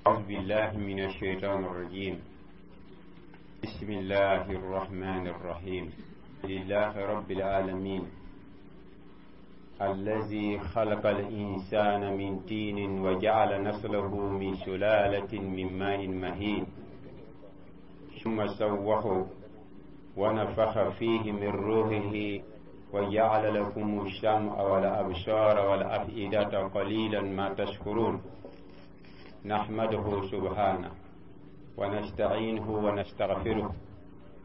أعوذ بالله من الشيطان الرجيم. بسم الله الرحمن الرحيم. لله رب العالمين الذي خلق الإنسان من طين وجعل نسله من سلالة من ماء مهين، ثم سواه ونفخ فيه من روحه وجعل لكم السمع والأبصار والأفئدة قليلا ما تشكرون. نحمده سبحانه ونستعينه ونستغفره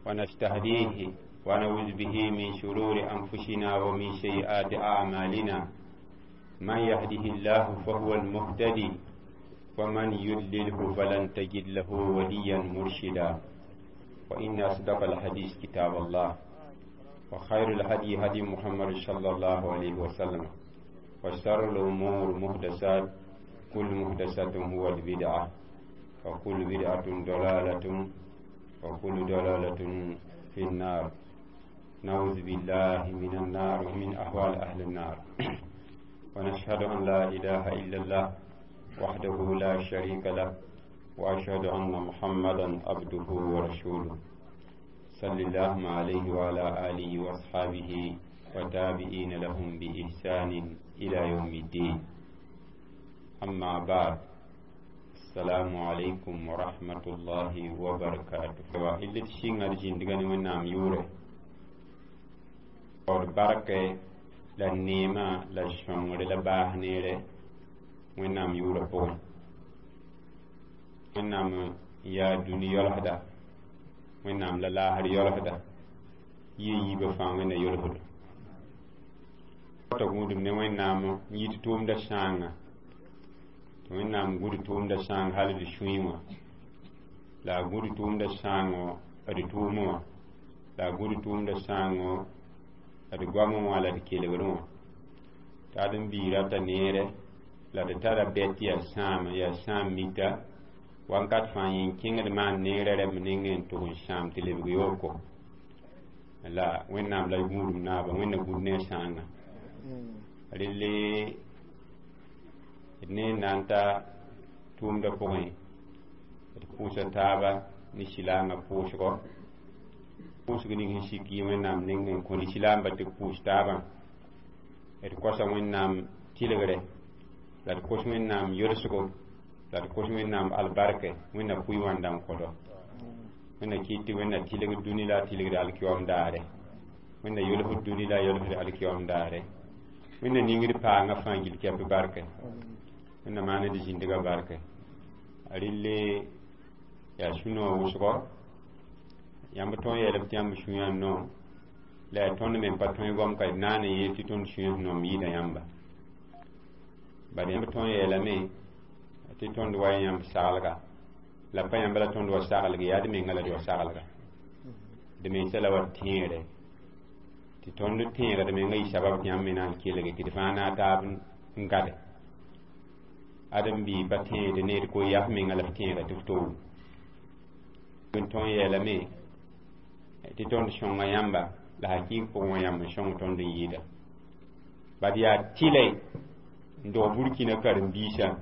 ونستهديه ونعوذ به من شرور أنفسنا ومن سيئات أعمالنا. من يهده الله فهو المهتدي، ومن يضلله فلن تجد له وليا مرشدا. وإن أصدق الحديث كتاب الله، وخير الهدي هدي محمد صلى الله عليه وسلم، وشر الأمور محدثات، كل محدثة هو البدعة، وكل بدعة ضلالة، وكل ضلالة في النار. نعوذ بالله من النار ومن أحوال أهل النار. ونشهد أن لا إله إلا الله وحده لا شريك له، وأشهد أن محمدا عبده ورسوله، صلى الله عليه وعلى آله وأصحابه وتابعين لهم بإحسان إلى يوم الدين. أما بعد، السلام عليكم ورحمة الله وبركاته. إلا تشين أرجين دغني من نام يوري اور بركة la neema la sõngre la baas neere Wẽnnaam yʋʋrã pʋgẽ. Wẽnnaam yaa dũni yɔlsda, Wẽnnaam la laasr yɔlsda, yɩ yiibã fãa Wẽnna yolsdo. T'a gũudum ne Wẽnnaam n yit tʋʋmdã sãanga tɩ Wẽnnaam gũd tʋʋmdã sãang hal d sũyẽ wã, la a gũd tʋʋmdã sãango d tʋʋmẽ wã, la a gũd tʋʋmdã sãango d goamẽ wã la d kelgrẽ wã. T'a ad n bii rata neere la d tara bɛt yaa sãam yaa sãam mita wakat fãa yẽ kẽngd maan neerã rɛmb nengẽ n tʋg n sãam tɩ lebg yooko. La Wẽnnaam la gũudum naaba, Wẽnna gũud ne a sãanga. Relle d ne n na n ta tʋʋmdã pʋgẽ, d pʋʋsa taaba ne silaangã pʋʋsgɔ, pʋʋsg ning sẽn sik yɩ Wẽnnaam nengẽ n kõ lislaamba tɩ b pʋʋs taabã. D kosa Wẽnnaam tɩlgre, la d kos Wẽnnaam yolsgo, la d kos Wẽnnaam albarkɛ, Wẽnna pʋɩ wãnda n kõdo. Wẽnna kɩt tɩ Wẽnna tɩlgd dũni la a tɩlgd alkiyoom daare, Wẽnna yolsd dũni la a yolsd alkiyoom daare, Wẽnna ningd paangã fãa gil kɛp barkɛ, Wẽnna maan d zĩndgã barkɛ. Relle yaa sũ-noog wʋsgɔ, yãmb tõe yeelame tɩ yãmb sũyã n noom, la yaa tõnd me n pa tõe goam ka d naan n yeel tɩ tõnd sũyã sẽn noom yɩɩda yãmba. Bad yãmb tõe yeelame tɩ tõnd wa yãmb saglga, la pa yãmb la tõnd wa saglg, yaa d menga la d wa saglga. D mensa la wa tẽegre tɩ tõnd tẽega d menga yɩ sabab tɩ yãmb me na n kelge tɩ d fãa na taab n gade. Ãdem-biig pa tẽed ned ko yaa f menga la f tẽega tɩ f to wum. N tõe yeelame tɩ tõnd sõnga yãmba, la hakɩɩg pʋgẽ wã yãmb n sõng tõnd n yɩɩda. Bad yaa tɩlɛ n dog Burkina karen-biisã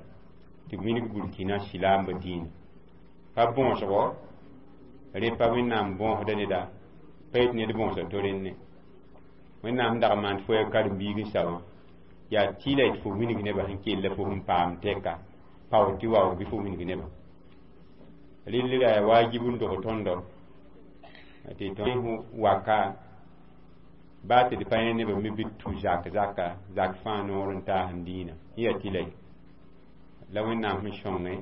tɩ b wilg Burkina silaambã dĩinã pa bõosgo rẽ pa Wẽnnaam bõosda neda, pa yet ned bõosa to rẽnne. Wẽnnaam dag n maan tɩ fo yaa karen-biig n sa wã, yaa tɩlɛ tɩ fo wilg nebã sẽn kell fo sẽn paam tɛka pao tɩ waoog bɩ fo wilg nebã. Rel ra yaa waajib n dog tõndo tɩ tõe waka baa tɩ d pa yẽ nebã me bɩ tu zak zaka zak fãa noor n taas n dĩinã n yaa tɩlɛ la Wẽnnaam sẽn sõnge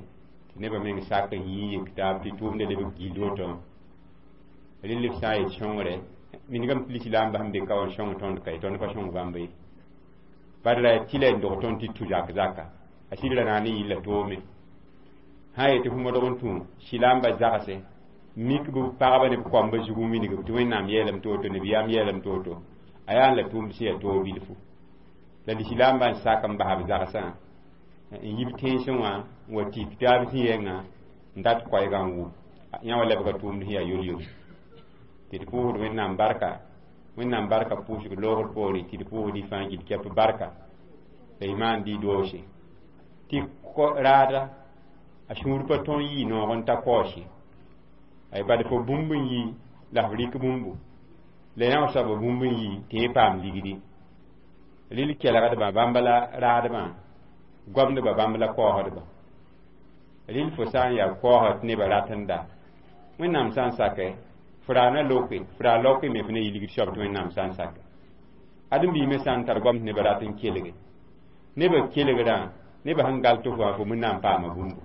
tɩ nebã meng sak n yɩ yek taab tɩ tʋʋmda lebg gill woto wã. Rel b sã n yet sõngre minigame tɩ lislaambã sẽn be ka wã n sõng tõnd ka ye, tõnd pa sõng bãmba ye. Bad ra yaa tɩlɛ n dog tõnd tɩ tu zak zaka a sɩd ra na ne yilla toome sã n yetɩ fo modg n tũ silaambã zagse mik b pagba ne b koamba zug n wilg tɩ Wẽnnaam yeelame tɩ woto, nabiyaam yeelame tɩ woto, a yaa n la tʋʋmd sẽn yaa toog bilfu. La lislaambã n sak n bas b zagsã n yib tẽnsẽ wã n wa tik taab zĩ-yɛngã n dat koɛɛgã n wʋm yã wa lebga tʋʋmd sẽn yaa yol-yol. Tɩ d pʋʋsd Wẽnnaam barka, Wẽnnaam barka pʋʋsg loogr poore, tɩ d pʋʋsd y fãa gil kɛp barka la y maan dɩ doose tɩ raada. A sũur pa tõe n yɩ noog n ta kaoos ye. Ay bad fo bũmb n yi la f rɩk bũmbu la yã soaba bũmb n yi tɩ yẽ paam ligdi. Rɩl kelgdbã bãmb la raadbã, goamdbã bãmb la kaoosdba. Rɩl fo sã n yaa kaoosd tɩ nebã rat n da, Wẽnnaam sã n sakɛ, fo raa na loke, fo raa laoke me fo na yɩ ligd soab tɩ Wẽnnaam sã n sakɛ. Ãdem-biig me sã n tar goam tɩ nebã rat n kelge, nebã kelgrã, nebã sẽn gal tɩ fo wã, fo wẽnnaam paama bũmbu.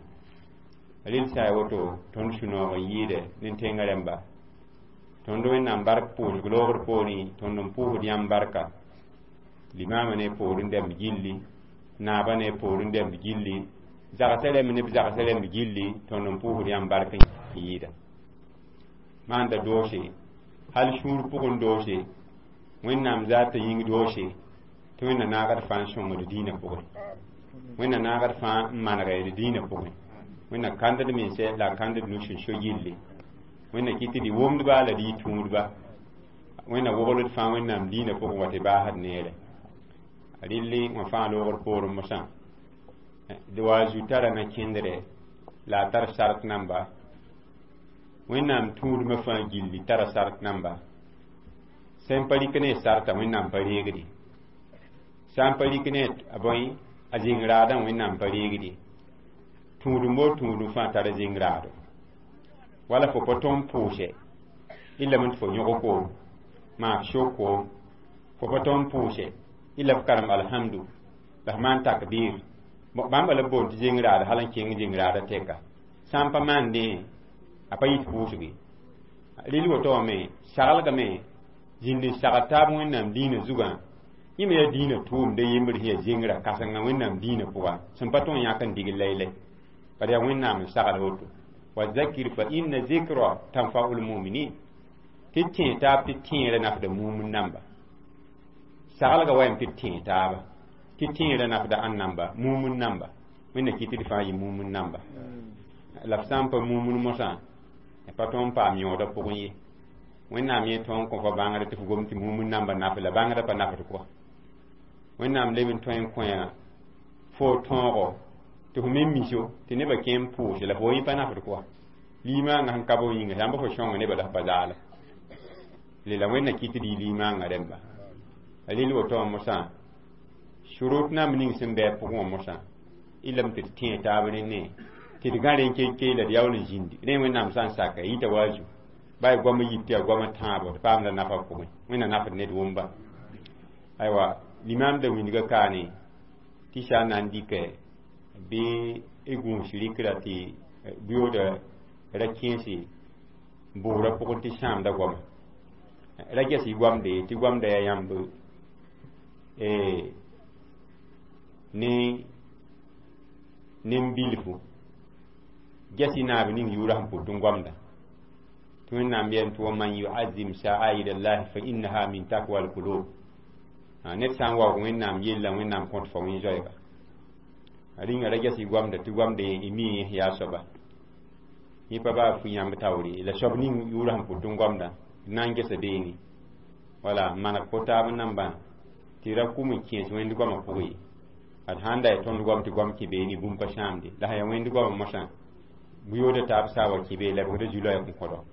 Rɩl sã ya woto, tõnd sũ-noog n yɩɩdɛ ne tẽngã rẽmba. Tõnd Wẽnnaam bark pʋʋsg loogr poorẽ, tõnd n pʋʋsd yãmb barka. Limaamã ne poorẽ dɛmb gilli, naabã ne poorẽ dɛmb gilli, zagsã rẽmb ne b zagsã rẽmb gilli, tõnd n pʋʋsd yãmb bark n yɩɩda. Maanda doose, hal sũur pʋgẽ doose, Wẽnnaam zaata yĩng doose, tɩ Wẽnna naagd fãa n sõngd dĩinã pʋgẽ. Wẽnna naagd fãa n maneg d dĩinã pʋgẽ. Wẽnna kãnd d mensɛ la a kãnd d nus n so gilli. Wẽnna kɩt tɩ d wʋmdba la d yɩ tũudba. Wẽnna wogl d fãa Wẽnnaam dĩinã pʋgẽ wa tɩ baasd neere. Rɩlli wã fãa loogr poorẽ mosã. D wa zu tara na kẽndrɛ la a tar sart namba. Wẽnnaam tũudmã fãa gilli tara sart namba. Sẽn pa rɩk ne sarta, Wẽnnaam pa reegde. Sã n pa rɩk ne a bõe a zĩng raadã, Wẽnnaam pa reegde. Tũudum bo tũudum fãa tara zĩng raado. Wala fo pa tõe n pʋʋsɛ y lame tɩ fo yõg koom, maa f sok koom. Fo pa tõe n pʋʋsɛ y la f karem alhamdu la f maan takbir. Bãmba la b boond tɩ zĩng raad hal n kẽng zĩng raadã tɛka. Sã n pa maandẽ, a pa yit pʋʋsg ye. Rɩl woto wã me saglgame zĩnd n sagl taab Wẽnnaam dĩinã zugã. Yẽ me yaa dĩinã tʋʋmd yembr sẽn yaa zĩngrã kãsenga Wẽnnaam dĩinã pʋga sẽn pa tõe n yãk n digl laylay. Bala yaa Wẽnnaam n sagl woto. Wa zakir fa inna zikra tanfa'ul muminin. Tɩ tẽe taab tɩ tẽerã nafda mumin namba. Saglga wa yam tɩ tẽe taaba tɩ tẽerã nafda ãn namba, mumin namba. Wẽnna kɩt tɩ d fãa yɩ mumin namba. La f sã n pa mumin mosã, pa tõe n paam yõodã pʋgẽ ye. Wẽnnaam yẽ tõe n kõ fa bãngr tɩ f gom tɩ mumin namba naf la bãngrã pa nafd kɔa. Wẽnnaam leb n tõe n kõ fo tõogo tɩ fo me miso tɩ nebã kẽ n pʋʋse la fo yẽ pa nafd kɔa. Limaangã sẽn ka b yĩnga yãmb fo sõnga nebã la f pa zaala. Lela Wẽnna kɩt tɩ d yɩ limaangã rẽmba. Rɩl woto wã mosã, surut namb ning sẽn bɩ a pʋgẽ wã mosã, y lame tɩ d tẽe taab rẽnne tɩ d gã rẽn kenkee la d yaool n zĩndi. Rẽ Wẽnnaam sã n saka yita wa a zu. Ba y goam yit tɩ yaa goam tãabo, d paamda nafa pʋgẽ. Wẽnna nafd ned wʋmba. Aywa, limaam da wĩndga kaane tɩ sã n na n dɩkɛ bɩ y gũus rɩkra tɩ buyooda ra kẽese bʋʋrã pʋgẽ tɩ sãamda goama. Ra ges y goamde tɩ goamda yaa yãmb ne nen-bilfu. Ges y naab ning yʋʋrã sẽn pʋt n goamda. Tɩ Wẽnnaam yɛl tɩ wa man yuazim sha'air allahi fa innaha min takwa alqulub. Ned sã n waoog Wẽnnaam yella, Wẽnnaam kõt fa wẽn-zoɛɛga. Rĩnga ra ges y goamda tɩ goamda y mi yaa soaba. Yẽ pa baa fu yãmb taoore la soab ning yʋʋrã sẽn pʋt n goamda na n gesa beene. Wala maneg po-taab nambã tɩ ra kum n kẽes wẽnd goamã pʋgẽ ye. Ad sãn da ya tõnd goam tɩ goam kẽ beene bũmb pa sãamde. La sã yaa wẽnd goamã mosã, buyooda taab saa wa kẽ bee lebgda zu-loɛɛg n kõdo.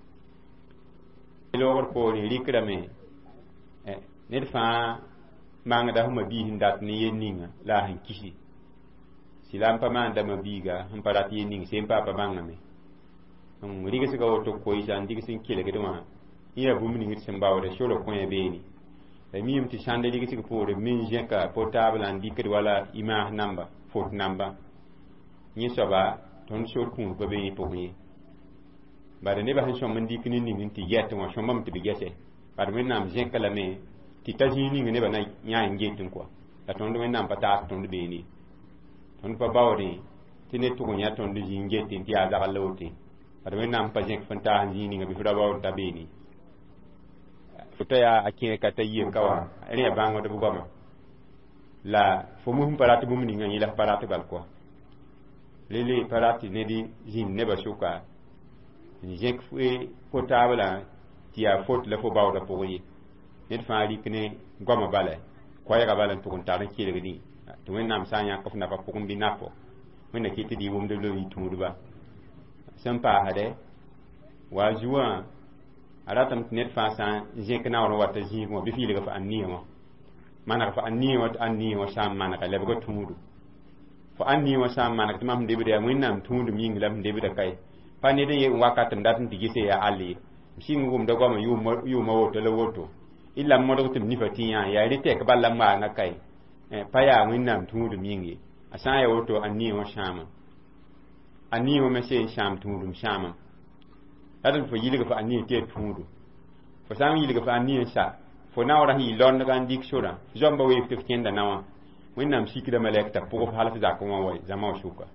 Loogr poorẽ rɩkrame ned fãa mangda sẽn mabiis n dat ne yel ninga la a sẽn kisi. Sɩla n pa maanda mabiiga sẽn pa rat yel ning sẽn pa pa bãngame. N rɩgsga woto koɩsa n digs n kelgd wã yẽ yaa bũmb ning d sẽn baoode sora kõ beene. La miime tɩ sãnd rɩgsg poore min zẽka portable n dɩkd wala image namba, fot namba. Yẽ soaba tõnd sor kũud pa be yẽ pʋgẽ ye. Bala nebã sẽn sõm n dɩk ne ning n tɩ gɛt wã sõmbame tɩ b gɛsɛ. Bad Wẽnnaam zẽka lame tɩ ta zĩig ning nebã na yã n get n kɔa. La tõnd Wẽnnaam pa taas tõnd beene. Tõnd pa baoodẽ tɩ ned tʋg n yã tõnd zĩig n getẽ tɩ yaa zagl la woto. Bad Wẽnnaam pa zẽk fõn taas zĩig ninga bɩ f ra baood t'a beene. Fo ta yaa a kẽer ka ta yie ka wã rẽ yaa bãngd b goama. La fo mus n pa rat bũmb ninga yẽ la f pa rat bal kɔa. Lele pa rat ned zĩnd nebã sʋka n zẽk portable tɩ yaa fot la fo baoodã pʋgẽ ye. Ned fãa rɩk ne goamã bala, koɛɛgã bala n tʋg n tar n kelgdẽ tɩ Wẽnnaam sã n yãk f nafa pʋgẽ bɩ nafo. Wẽnna kɩ tɩ d yɩ wʋmdb la b yɩ tũudba sẽn paasdɛ wa zuwã a ratame tɩ ned fãa sã n zẽk naoor n wata zĩigẽ wã bɩ f yɩlg f ãn-niye wã maneg f ãn-niye wã tɩ ãn-niye wã sã n manega lebga tũudu fo ãn-niye wã sã n maneg tɩ mam sẽn debda yaa Wẽnnaam tũudum yĩng la m debda kae pa ned n ye n wakat m dat n tɩ gese yaa all ye m sɩng wʋmda goamã yʋʋma woto la woto illa m modg tɩ m nifa tɩ yã yaa rɩ tɛk bal la m maanga kae pa yaa Wẽnnaam tũudum yĩng ye a sã n yaa woto ãn-niye wã sãama ãn-niye wã me seen sãam tũudum sãamam la tɩ fo yɩlg fo ãn-niye tɩ yaa tũudu fo sã n yɩlg fo ãn-niye n sa fo naoorã sẽn yɩ londga n dɩk sorã zoamba weef tɩ f kẽnda naowã Wẽnnaam sikda malɛk t'a pʋg f hal f zakẽ wã wa zãma wã sʋka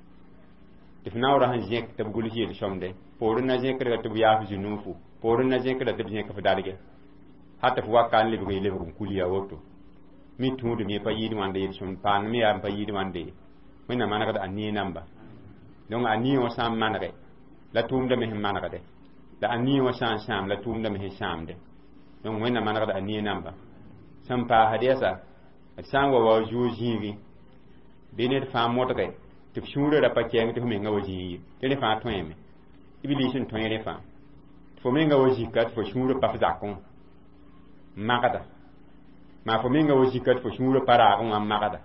tɩ f naoorã sẽn zẽk tɩ b gʋls yel-sõmde poorẽ na zẽkdga tɩ b yaaf zu-nuufu poorẽ na zẽkda tɩ b zẽk f darge hal tɩ f waka n lebg y lebg n kul yaa woto mi tũudum ye pa yɩɩd wãnda yel-sõmd paam me yaa n pa yɩɩd wãnde ye Wẽnnaam manegd ãn-niye namba donc ãn-niye wã sã n manege la tʋʋmda me sẽn manegde la ãn-niye wã sã n sãam la tʋʋmda me sẽn sãamde donc Wẽnnaam manegd ãn-niye namba sẽn paasd yɛsa d sã n wa wa zuo zĩigẽ bɩ ned fãa modge tɩ f sũurã ra pa kɛɛng tɩ f menga wa zĩig ye tɩ rẽ fãa tõeme Iblis n tõe rẽ fãa tɩ fo menga wa zika tɩ fo sũurã pa f zakẽ wã magda maa fo menga wa zika tɩ fo sũurã pa raagẽ wã n magda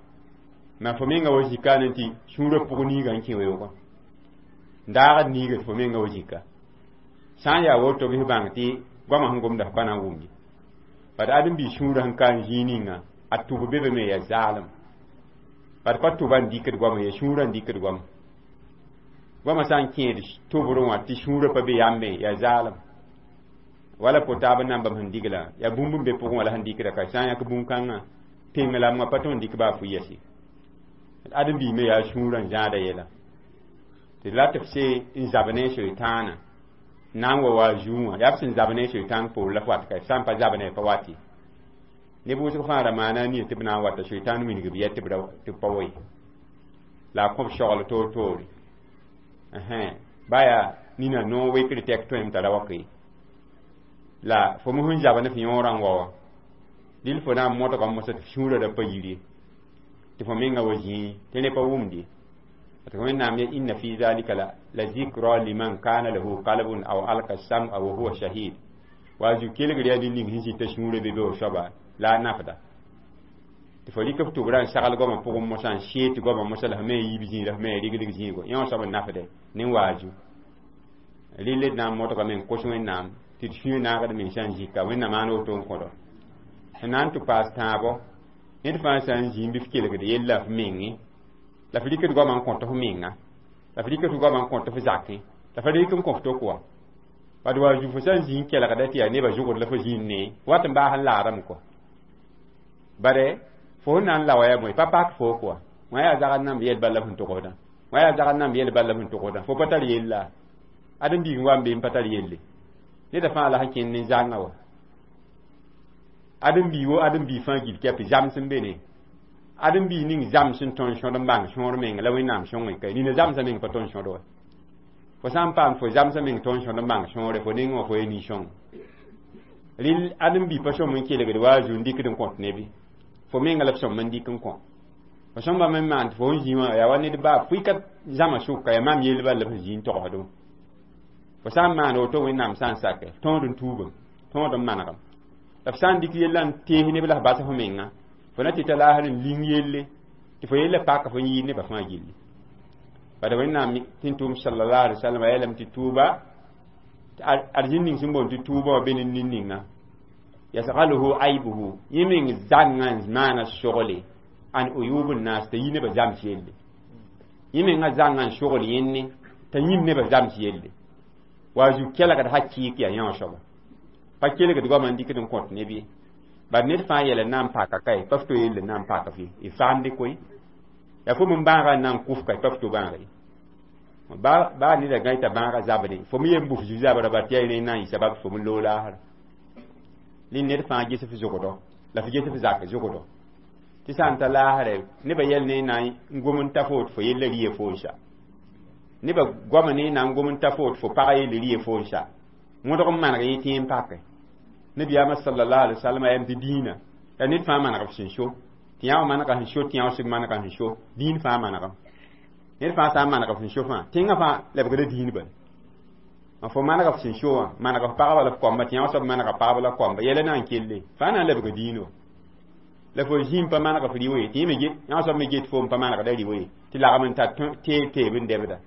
maa fo menga wa zika ne tɩ sũurã pʋg niigã n kẽ weoogã n daagd niiga tɩ fo menga wa zika sã n yaa woto bɩ f bãng tɩ goamã sẽn gomda f pa na n wʋm ye bad ãdem-biig sũurã sẽn ka n zĩig ninga a tʋb be be me yaa zaalem bad pa tʋba n dɩkd goamã ya sũurã n dɩkd goamã goamã sã n kẽed tʋbrẽ wã tɩ sũurã pa be yambe yaa zaalem wala po-taab nambam sẽn digla yaa bũmb n be pʋgẽ wã la sẽn dɩkda ka sã n yãk bũn-kãngã peng la m wã pa tõe n dɩk baa fu yɛse ãdem-biig me yaa sũurã n zãada yɛla tɩ la tɩ f see n zab ne soetãanã na n wa wa zuu wã yaa b sẽn zab ne soetãng poor la f wat ka sã n pa zab ne pa wati neb wʋsg fãa ra maana nie tɩ b na n wata soetãn wilg b yɛ tɩ b pa wa ye la a kõ b sogl toor-toore ba yaa nina noor wekr tɛk tõem t'a ra wa ye la fo me sẽn zab ne f yõorã n wa wã dɩl fo na n modgame mosã tɩ f sũurã ra pa yir ye tɩ fo menga wa zĩig tɩ rẽ pa wʋmd ye tɩ Wẽnnaam ye إن في ذلك لذكرى لمن كان له قلب أو ألقى السمع وهو شهيد wa zu kelgr yaa ned ning sẽn zĩta sũurã be be wa soaba la a nafda tɩ fo rɩk f tʋbrã n sagl goamã pʋgẽ mosã n see tɩ goamã mosã la f me n yiib zĩig la f me n rigdg zĩigo yẽ wã soab n nafde ne waaju rɩl d na n modgame n kos Wẽnnaam tɩ d sũyã naagd mensã n zika Wẽnnaam maan woto n kõdo sẽn na n tɩ paas tãabo ned fãa sã n zĩig bɩ f kelgd yella f menge la f rɩkd goamã n kõt f menga la f rɩk f goamã n kõt f zakẽ la f rɩk n kõ f tok wa bad wa zu fo sã n zĩig kelgda tɩ yaa nebã zʋgd la fo zĩig ne wat n baas n laadame kɔ bare fo sẽn na n lawa yaa bõe pa pak fo kɔa wã yaa zagd namb yɛl bal la f sẽn togsdã wã yaa zagd namb yɛl bal la f sẽn togsdã fo pa tar yella ãdem-biig n wa n be n pa tar yelle neda fãa la sẽn kẽnd ne zãngã wa ãdem-biig wo ãdem-biig fãa gil kɛp zams n be ne ãdem-biig ning zams n tõnd sõd n bãng sõor meng la Wẽnnaam sõngẽ ka nina zamsã meng pa tõnd sõd wa fo sã n paam fo zamsã meng tõnd sõd n bãng sõore fo neng wã fo ye nin-sõng rɩl ãdem-biig pa sõm n kelgd wa zu n dɩkd n kõt nebi fo menga la f sõm n dɩk n kõ fo sõmba me maan tɩ fo n zĩ wã yaa wa ned baa pʋɩka zãma sʋka yaa maam yell bal la f zĩ n togsdẽ fo sã n maan woto Wẽnnaam sã n sake tõod n tuubem tõod n manegem la f sã n dɩk yella n tees neb la f bas f menga fo na tɩ t'a laasr n ling yelle tɩ fo yella paka fo yɩɩd nebã fãa gilli bad Wẽnnaam tɩ n tʋʋm صلى الله عليه وسلم a yeelame tɩ tuuba arzĩn ning sẽn boond tɩ tuuba wã be ne nin ninga يشغله عيبه yẽ meng zãngã n maana sogle عن عيوب الناس t'a yi nebã zams yelle yẽ mengã zãngã n sogl yẽnne t'a yĩm nebã zams yelle wa zu kelgd hakɩɩk yaa yã soaba pa kelgd goamã n dɩkd n kõt neb ye bad ned fãa yɛl n na n paka kae pa f to yell n na n paka f ye y faamde koe yaa fo m bãagã n na n kʋf kae pa f to bãaga ye baa neda gã t'a bãagã zabde fo me yen bʋf zu-zabrã ba tɩ yaa rẽ n na n yɩ sabab fo me loog laasra rẽ ned fãa ges f zʋgdɔ la f ges f zak zʋgdɔ tɩ sã n ta laasrɛ nebã yɛl ne na n gom n ta fo tɩ fo yella rɩye fo n sa nebã goama ne na n gom n ta fo tɩ fo pagã yelle rɩye fo n sa wõdg n maneg yẽ tɩ n pake nabiyaamã صلى الله عليه وسلم a yam tɩ dĩinã yaa ned fãa maneg f sẽn so tɩ yã wã manega sẽn so tɩ yã wã sẽn manega sẽn so dĩin fãa manegem Ned fãa sã n maneg f sẽn so fãa, tẽngã fãa lebgda diin bala. N fo maneg f sẽn so wã, maneg f pagba la f koamba, tɩ yã soab manega pagba la koamba, yɛla na n kelle, fãa na n lebga diin wa. La fo zĩm pa maneg f rɩ ye, tɩ yã soab me get foom pa manegda rɩ ye, tɩ lagm n tar teeb teeb n dɛbda.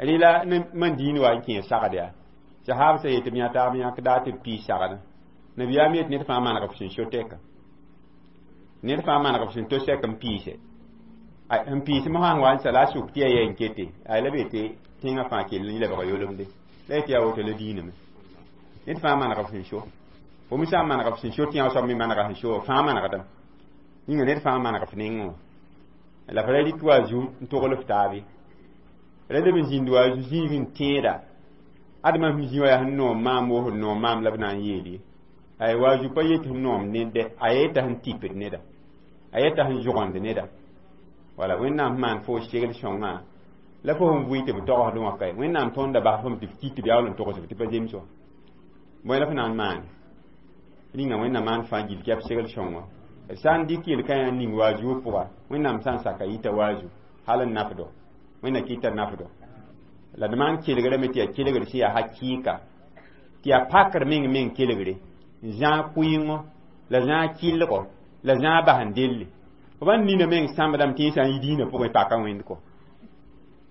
Rɩla ne man diin wa n kẽes sagd yaa. Sahab sã yetɩ b yã taab yãk daa tɩ b piis sagdã. Nabiyaam yet ned fãa maneg f sẽn so tɛka. Ned fãa maneg f sẽn to sɛk n piise. N piis mosã n wa n sa la a suk tɩ yaa yɛ n kete, ay la be tɩ tẽngã fãa kell n lebga yolemde. La yetɩ yaa woto la diiname. Ned fãa maneg f sẽn so. Fo me sã n maneg f sẽn so tɩ yã soab me manega sẽn so, fãa manegdame. Yĩnga ned fãa maneg f nengẽ wã. La f ra rɩk wa zu n togl f taabe. Ra leb n zĩnd wa zu zĩig n tẽeda. Adema sẽn zĩ wã yaa sẽn noom maam wo sẽn noom maam la b na n yeel ye. Ay wa zu pa yet sẽn noom ned dɛ, a yeta sẽn tipd neda. A yeta sẽn zʋgend neda. Wala Wẽnnaam maan fo segl sõngã la fo sẽn vʋɩ tɩ b togsd wã kae. Wẽnnaam tõnda bas fom tɩ f kit tɩ b yaool n togs tɩ pa zems wã. Bõe la f na n maane? Rĩnga Wẽnnaam maan fãa gill tɩ yaa b segl sõngã. Sã n dɩk yel-kãyã n ning waazu pʋga, Wẽnnaam sã n saka yita waazu, hal n nafdo. Wẽnna kɩta nafdo. La d maan kelgrame tɩ yaa kelgr sẽn yaa hakɩɩka, tɩ yaa pakr meng meng kelgre, n zãag kʋɩɩngo, la zãag kɩllgo, la zãag bas n delle. Fo bãn nina meng sãmbdame tɩ yẽ sã n yi diinã pʋgẽ paka wẽnd kɔ.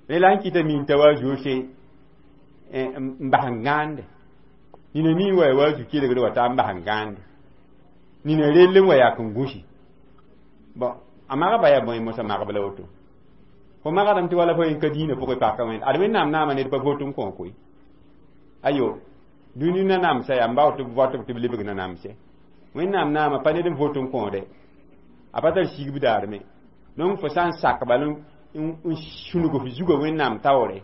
Rẽ la n kɩta min t'a waazu se n bas n gãande. Nina mi wa waazu kelgre wa t'a n bas n gãande. Nina rell n wa yak n gũsi. Bon, a magba yaa bõe mosã magb la woto. Fo magdame tɩ wala fo yẽ ka diinã pʋgẽ paka wẽnd. Ad Wẽnnaam naama ned pa vot n kõ koe. Ayo, dũni nanamsã yaa n bao tɩ b vɔtb tɩ b lebg nanamsɛ. Wẽnnaam naama pa ned n vot n kõode. A pa tar sigb daar me. Donc fo sã n sak bal n sũnug f zugã Wẽnnaam taoore,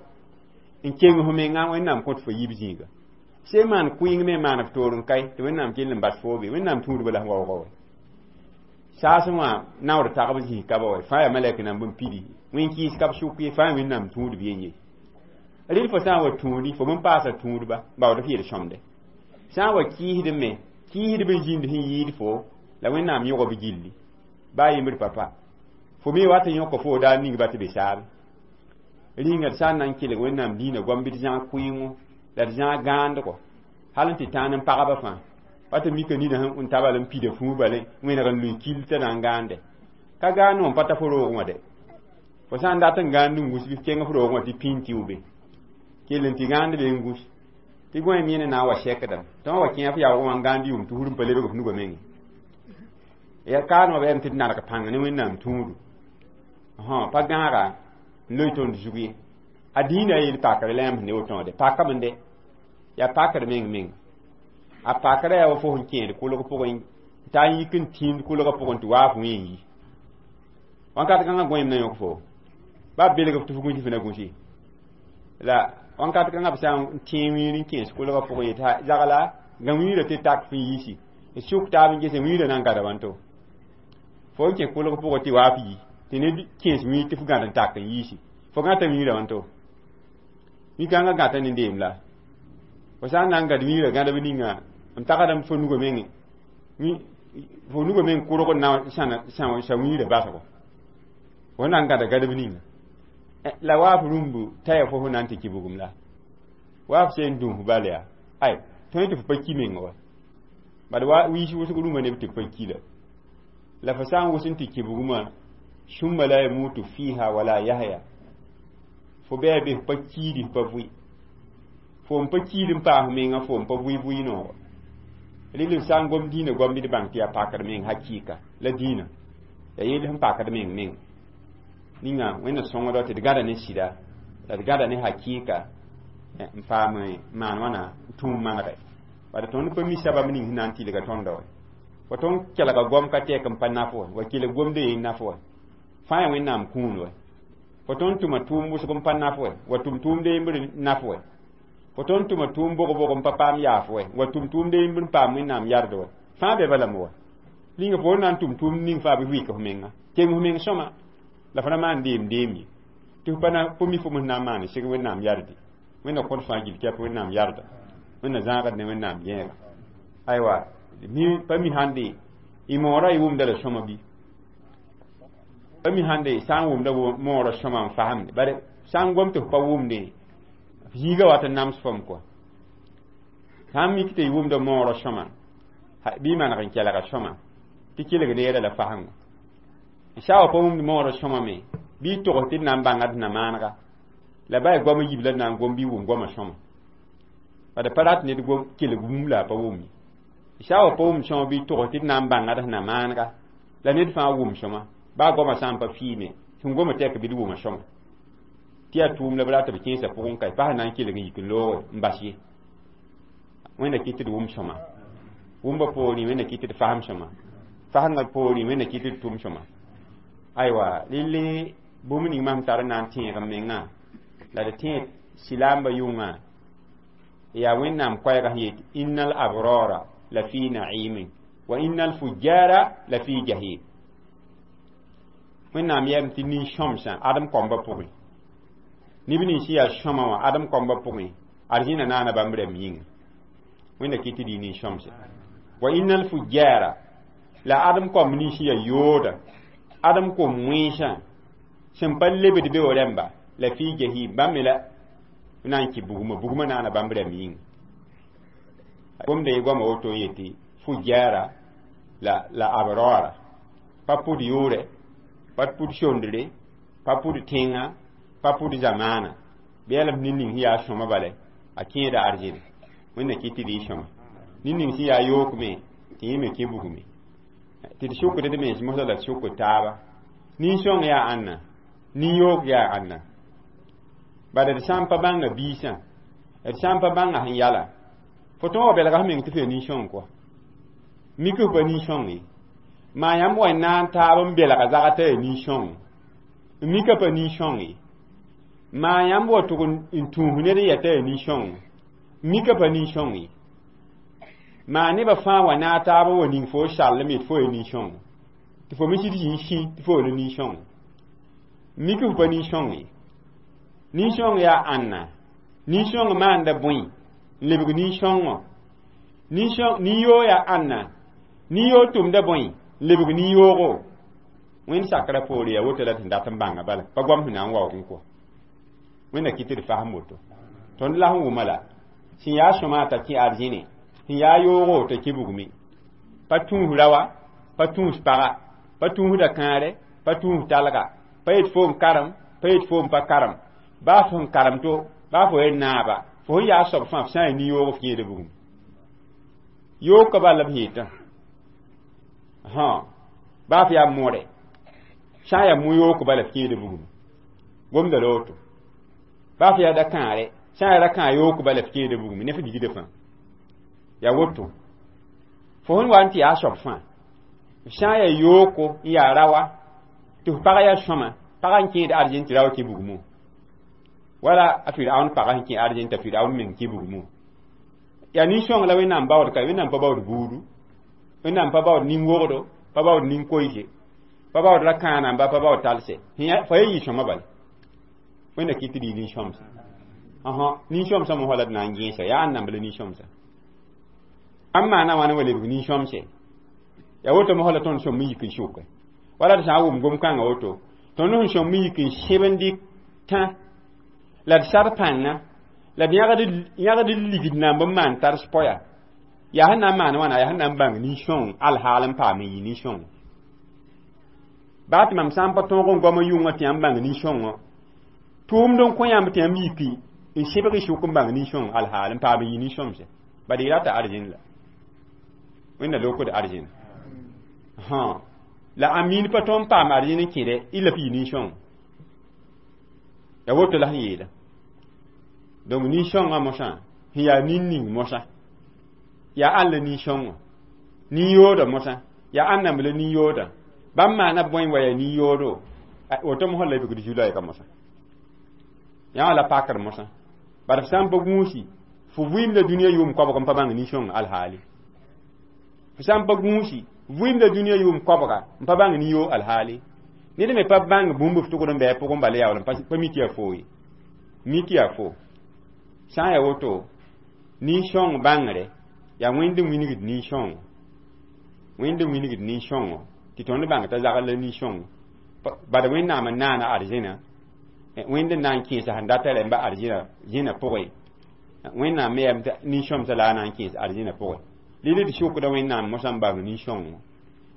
n keng f mengã, Wẽnnaam kõt fo yib zĩiga. Sẽn maan kʋɩng me maan f toor n kae, tɩ Wẽnnaam kell n bas foo be. Wẽnnaam tũudba la sẽn waoogã wa. Saasẽ wã naoor tagb zĩig ka ba wa, fãa yaa malɛk namb n pidi. Wẽn-kɩɩs ka b sʋk ye, fãa Wẽnnaam tũudb yen ye. Rɩl fo sã n wa tũudi, fo bõn paasa tũudba, baood f yel-sõmde. Sã n wa kɩɩsd me, kɩɩsdb n zĩnd sẽn yɩɩd fo, la Wẽnnaam yõg b gilli. Baa yembr papa. Fo me wat n yõk fo daa ning ba tɩ be saabe. Rĩnga d sã n na n kelg Wẽnnaam diinã goam bɩ d zãag kʋɩɩngo, la d zãag gãandgo, hal n tɩ tãan n pagba fãa. Wa tɩ mika nina sẽn n ta bal n pida fũu bale, wẽneg n lʋɩ kil t'a na n gãande. Ka gãand wã n pa ta fo roog wã dɛ. Fo sã n dat n gãand n gus bɩ f kẽng f roog wã tɩ pĩn tɩ be. Kell n tɩ gãand be n gus. Tɩ gõe me na n wa sɛkdame. Tɩ wã wa kẽ f yaoog wã n gãand yʋʋm tɩ hur n pa lebg f nugã menge. Ya kaanẽ wã bɩ tɩ d naneg pãng ne Wẽnnaam tũudu. Pa gãaga n loe tõnd zug ye. A dĩinã a yel pakr la yãmb sẽn ne woto wã dɛ. Pakame dɛ. Yaa pakr meng meng. A pakrã yaa wa fo sẽn kẽed kʋlg pʋgẽ, t'a n yik n tĩnd kʋlgã pʋgẽ tɩ waaf wẽ n yi. Wãnkat kãngã gõeem na yõk fo. Ba belg f tɩ f gũsi f na gũsi. La wãnkat kãngã b sã n tẽe wiir n kẽes kʋlgã pʋgẽ yetɩ zagla gã wiirã tɩ tak f n yiisi. D sʋk taab n gese wiirã na n gada wãnto. Fo n kẽ kʋlg pʋgẽ tɩ waaf yi, tɩ ned kẽes wiir tɩ f gãd n tak n yiisi. Fo gãta wiirã wãnto. Wi-kãngã gãta ne deem la. Fo sã n na n gãd wiirã gãdb ninga n tagsdame fo nugã menge. Fo nugã meng kʋrg n na sã wiirã basgo. Fo na n gãda gãdb ninga. La waaf rũmbu t'a yaa fo sẽn na n tɩ kɩ bugum la. Waaf sẽn dũs bal yaa. Ay, tõe tɩ f pa ki meng wa. Bad wa wiis wʋsg rũmã neb tɩ pa ki la. La fo sã n wʋs n tɩ kɩ bugumã, summa la yamutu fiha wala yahya. Fo bɩ be f pa kiidi f pa vʋɩ. Fo n pa kiid n paas menga, fo n pa vʋɩ vʋɩ noogã. Rɩl sã n gom diinã goam bɩ d bãng tɩ yaa pakr meng hakɩɩka la diinã. Yaa yell sẽn pakd meng meng. Ninga Wẽnna sõngda tɩ d gãda ne sɩda, la d gãda ne hakɩɩka n paam maan wãna tũum manegɛ. Bala tõnd pa mi sabab ning sẽn na n tɩlga tõnda wa. Wa tõnd kelga goam ka tɛk n pa naf wa, wa kelg gomdã yen naf wa. Fãa yaa Wẽnnaam kũun wa. Fo tõnd tʋma tʋʋm wʋsg n pa naf wa, wa tʋm tʋʋmd yembr naf wa. Fo tõnd tʋma tʋʋm bog-bog n pa paam yaaf wa, wa tʋm tʋʋmd yembr n paam Wẽnnaam yard wa. Fãa be balame wa. Rĩnga fo na n tʋm tʋʋmd ning fãa bɩ wɩk f menga. Keng f meng sõma. La fo na maan deem deem ye. Tɩ f pa na fo mi fo sẽn na n maan seg Wẽnnaam yarde. Wẽnna kõt fãa gill tɩ yaa Wẽnnaam yarda. Wẽnna zãagd ne Wẽnnaam gẽega. Aywa, mi pa mi sãn de, y moorã y wʋmda la sõma bɩ. Pa mi sãn de sã n wʋmda moorã sõma n fasemde, bare sã n gom tɩ f pa wʋmde, zĩiga wat n nams fom kɔa. Sã n mik tɩ y wʋmda moorã sõma, bɩ y maneg n kelga sõma tɩ kelg neerã la fasengo. Sã wa pa wʋmd moorã sõma me, bɩ y togs tɩ d na n bãnga d na maanega la ba y goam yib la d na n gom bɩ y wʋm goamã sõma. Bad pa rat ned gom kelg bũmb la a pa wʋm ye. Sã wa pa wʋmd sõma, bɩ y togs tɩ d na n bãnga d na maanega la ned fãa wʋm sõma, baa goamã sã n pa fiime, sẽn goma tɛk bɩ d wʋma sõma. Tɩ yaa tʋʋm la b rat b kẽesã pʋgẽ ka, pa sẽn na n kelg n yik n looge n bas ye. Wẽnda kɩt tɩ d wʋm sõma. Wʋmbã poorẽ Wẽnda kɩt tɩ d fasem sõma. Fasemdã poorẽ Wẽnda kɩt tɩ d tʋm sõma. Aywa, relle bũmb ning mam tar n na n tẽeg m mengã la d tẽed silaambã yʋngã yaa Wẽnnaam koɛɛgã sẽn yet: innal abrara la fi na'imin wa innal fujjara la fi jahim. Wẽnnaam yɛm tɩ nin-sõmsã adem kɔmbã pʋgẽ, neb nins yaa sõma wã adem kɔmbã pʋgẽ, arzĩna naana bãmb rɛmb yĩnga. Wẽnda kɩt tɩ d yɩ nin-sõmsã. Wa innal fujjara, la adem kɔmb nins yaa yooda, adem kom wẽnsã sẽn pa lebd be wa rẽmba, la fi jahim, bãmb me la na n kɩ bugmã, bugmã naana bãmb rɛmb yĩnga. Gomda ye goama woto n yetɩ fujjara la abrara pa pʋd yʋʋrɛ, pa pʋd sondre, pa pʋd tẽnga, pa pʋd zamaana. Bɩ yaa la m nin-ning sẽn yaa sõma bala a kẽeda arzẽne. Wẽnna kɩt tɩ d yɩ sõma. Nin-ning sẽn yaa yook me, tɩ yẽ me kẽ bugme. Tɩ d sʋkd d mens mosã la d sʋkd taaba. Nin-sõng yaa ãnna, nin-yook yaa ãnna? Bala d sã n pa bãnga biisã, d sã n pa bãnga sẽn yala, fo tõog wa belga f meng tɩ f yaa nin-sõng kɔa. Mik f pa nin-sõng ye. Maa yãmb wa n na n taab n belga zagã t'a yaa nin-sõng, mika pa nin-sõng ye. Maa yãmb wa tʋg n tũus ned n yaa t'a yaa nin-sõng, mika pa nin-sõng ye. Maa nebã fãa wa naag taab n wa ning fo sall me tɩ fo yaa nin-sõng, tɩ fo me sɩd zĩ n sĩ tɩ fo la nin-sõng, mik f pa nin-sõng ye. Nin-sõng yaa ãnna? Nin-sõng maanda bõe n lebg nin-sõngõ? Nin-yoog yaa ãnna? Nin-yoog tʋmda bõe n lebg nin-yoogo? Wẽnd sakrã poore yaa woto la d sẽn dat n bãnga bala, pa goam sẽn na n waoog n kɔ. Wẽnda kɩt tɩ d fasem woto. Tõnd la sẽn wʋma la sẽn yaa sõma t'a kẽ arzẽne, sẽn yaa yoogo t'a kẽ bugme. Pa tũus raoa, pa tũus paga, pa tũusda kãare, pa tũus talga, pa yet fo n karem, pa yet fo n pa karem, baa fo n karem to, baa fo yen naaba, fo sẽn yaa soab fãa, f sã n yaa nin-yoog, f kẽeda bugum. Yoog ka bal la b yetã, baa f yaa moore, sã n yaa mo-yook bala, f kẽeda bugum. Gomda la woto. Baa f yaa da-kãare, sã n yaa ra-kãa yook bala, f kẽeda bugum ne f ligdã fãa. Yaa woto. Fo sẽn wa n tɩ yaa soab fãa, f sã n yaa yooko n yaa raoa, tɩ f pag yaa sõma, pagã n kẽed arzẽn tɩ rao kẽ bugmo. Wala a Firaun pagã sẽn kẽ arzẽn t'a Firaun meng kẽ bugmo. Yaa nin-sõng la Wẽnnaam baood ka, Wẽnnaam pa baood buudu, Wẽnnaam pa baood nin-wogdo, pa baood nin-koiise, pa baood ra-kãanamba, pa baood talse. Fa ye yɩ sõma bala. Wẽnda kɩt tɩ d yɩ nin-sõmsã. Nin-sõmsã mosã la d na n gẽesa, yaa ãnnamb la nin-sõmsã? Ãmb maana wãna wa lebg nin-sõmse? Yaa woto mosã la tõnd sõm n yik n sʋke. Wala d sã n wʋm gom-kãngã woto, tõnd sẽn sõm n yik n sẽb n dɩk tã la d sar pãnga la d yãgd ligd namb n maan tars poya. Yaa sẽn na n maan wãna, yaa sẽn na n bãng nin-sõng alhaal n paam n yɩ nin-sõng. Baa tɩ mam sã n pa tõog n goam yʋngã tɩ yãmb bãng nin-sõngõ, tʋʋmd n kõ yãmb tɩ yãmb yiki n sɩbg y sʋk n bãng nin-sõng alhaal n paam n yɩ nin-sõmse. Bad y rata arzẽn la. Wẽnda lokd arzẽn. La a miin pa tõnd paam arzẽn n kẽdɛ, y la f yɩ nin-sõng. Yaa woto la sẽn yeela. Donc nin-sõngã mosã sẽn yaa nin-ning mosã, yaa ãn la nin-sõngõ? Nin-yoodã mosã yaa ãnnamb la nin-yoodã? Bãmb maana bõe wa yaa nin-yoodo? Woto mosã la bigd zu-loɛɛgã mosã. Yã wã la pakr mosã. Bad f sã n pa gũusi, fo vɩɩmda dũniyã yʋʋm koabg n pa bãng nin-sõng alhaali. F sã n pa gũusi, vɩɩmda dũniyã yʋʋm koabga n pa bãng nin-yoog alhaali. Ned me pa bãng bũmb f tʋgd n bɩ a pʋgẽ bala yaool n pa mi tɩ yaa foo ye. Mi tɩ yaa foo. Sã n yaa woto, nin-sõng bãngre yaa Wẽnd n wilgd nin-sõngo. Wẽnd n wilgd nin-sõngo tɩ tõnd bãng t'a zagl la nin-sõngo. Bad Wẽnnaam n naana arzẽna, Wẽnd n na n kẽesa sẽn data rẽmba arzẽna zẽna pʋgẽ. Wẽnnaam me yaa nin-sõmsã la a na n kẽes arzẽna pʋgẽ. Rɩl d sʋkda Wẽnnaam mosã n bãng nin-sõngo,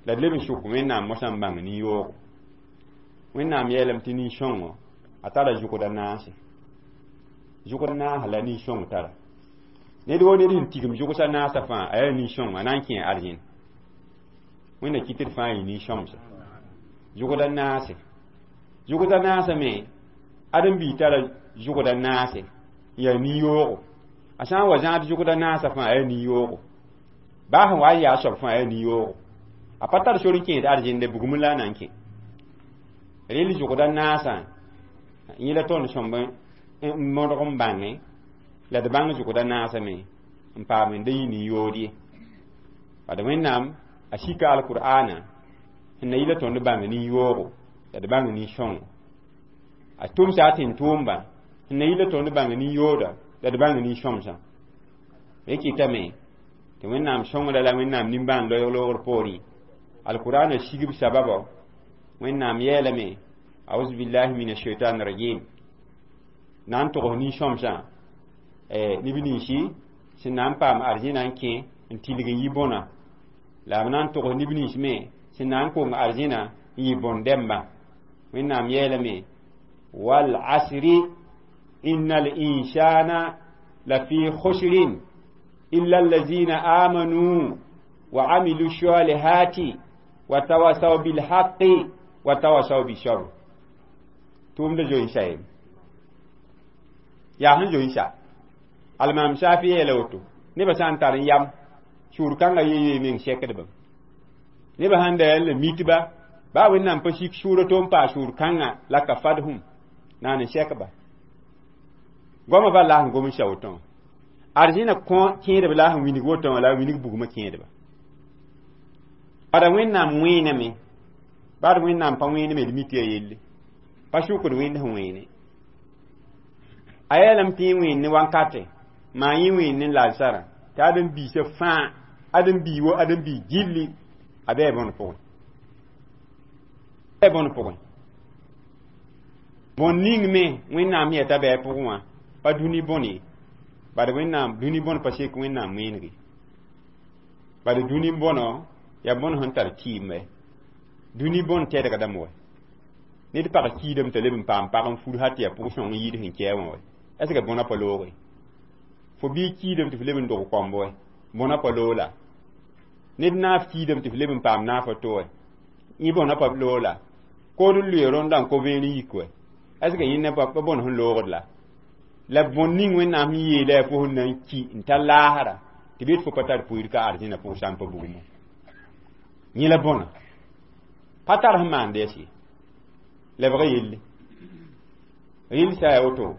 la d leb n sʋk Wẽnnaam mosã n bãng nin-yoogo. Wẽnnaam yeelame tɩ nin-sõngo a tara zʋgd a naase, zʋgd naasã la nin-sõng tara. Ned wo ned sẽn tigim zʋgsa naasã fãa, a yaa nin-sõngo, a na n kẽ arzẽna. Wẽnna kɩt d fãa yɩ nin-sõmsa. Zʋgd a naase, zʋgd a naasã me, ãdem-biig tara zʋgd a naase n yaa nin-yoogo. A sã n wa zãad zʋgd a naasã fãa, a yaa nin-yoogo. Baa sẽn wa n yaa soab fãa, a yaa nin-yoogo. A pa tar sor n kẽed arzẽnde, bugum la a na n kẽ. Rel zʋgd a naasã yẽ la tõnd sõmb n modg n bãnge, la d bãng zʋgd a naasã me n paam n da yɩ nin-yood ye. Bad Wẽnnaam a sika alkur'aana sẽn na yɩ la tõnd bãng nin-yoogo, la d bãng nin-sõngo. A tʋmsa a tẽn-tʋʋmba sẽn na yɩ la tõnd bãng nin-yooda, la d bãng nin-sõmsã. Rẽ kɩtame tɩ Wẽnnaam sõngra la Wẽnnaam nimbãan loeeg loogr poorẽ, alkur'aana sigb sababa. Wẽnnaam yeelame, auzu billahi min ashaitan rajim, na n togs nin-sõmsã, neb ninsi sẽn na n paam arzẽna n kẽ n tilg n yɩ bõna, la b na n togs neb nins me sẽn na n kong arzẽna n yɩ bõn-dɛmba. Wẽnnaam yeelame, wal asri innal insana lafi khusrin illa allazina amanu wa amilu salihati wa tawasaw bil haqqi wa tawasaw bis sabr. Tʋʋmda zoe-n-sa ye yaa sẽn zoe-n-sa. Almaam Shafi yeela woto, nebã sã n tar n yam sũur kãngã yee meng sɛkdbame. Nebã sãn da la mitba, baa Wẽnnaam pa sik sʋʋra to n paa sũur kãngã la ka fadhum naan n sɛkba. Goamã bal la sẽn gom n sa woto wã. Arzẽna kõ kẽedb la sẽn winig woto wã, la a winig bugmã kẽedba. Bada Wẽnnaam wẽename, bad Wẽnnaam pa wẽeneme, d mi tɩ ya yelle. Pa sʋkd Wẽnd sẽn wẽene. A yeelame tɩ yẽ wẽen ne wankate, maa yẽ wẽen ne lansarã, tɩ ãdem-biisã fãa, ãdem-bii wo ãdem-bii gilli, a bɩ bõn pʋgẽ. Bɩ bõn pʋgẽ. Bõn ning me Wẽnnaam yɛta bɩ a pʋgẽ wã, pa dũni bõn ye. Bad Wẽnnaam dũni bõn pa sek Wẽnnaam wẽenege. Bad dũni bõnɔ yaa bõn sẽn tar kɩɩmbe. Dũni bõn tɛdgdame wɛ. Ned pag kiidame t'a leb n paam pag n fur hal tɩ yaa pʋg-sõng n yɩɩd sẽn kɛɛ wã wɛ. Est ce que bõna pa looge? Fo bii kiidame tɩ f leb n dog kɔmb wɛ. Bõna pa loog la. Ned naaf kiidame tɩ f leb n paam naaf a to wɛ. Yẽ bõna pa loog la. Kood n lʋɩ rõndã n ko vẽen n yik wɛ. Est ce que yẽnda pa bõn sẽn loogd la? La bõn ning Wẽnnaam sẽn yeela yaa fo sẽn na n ki n ta laasra tɩ bɩ fo pa tar pʋɩɩr ka arzẽna pʋg sã n pa bugmo. Yẽ la bõna. Pa tar sẽn maand yɛs ye. Lebg yelle. Rɩl sã yaa woto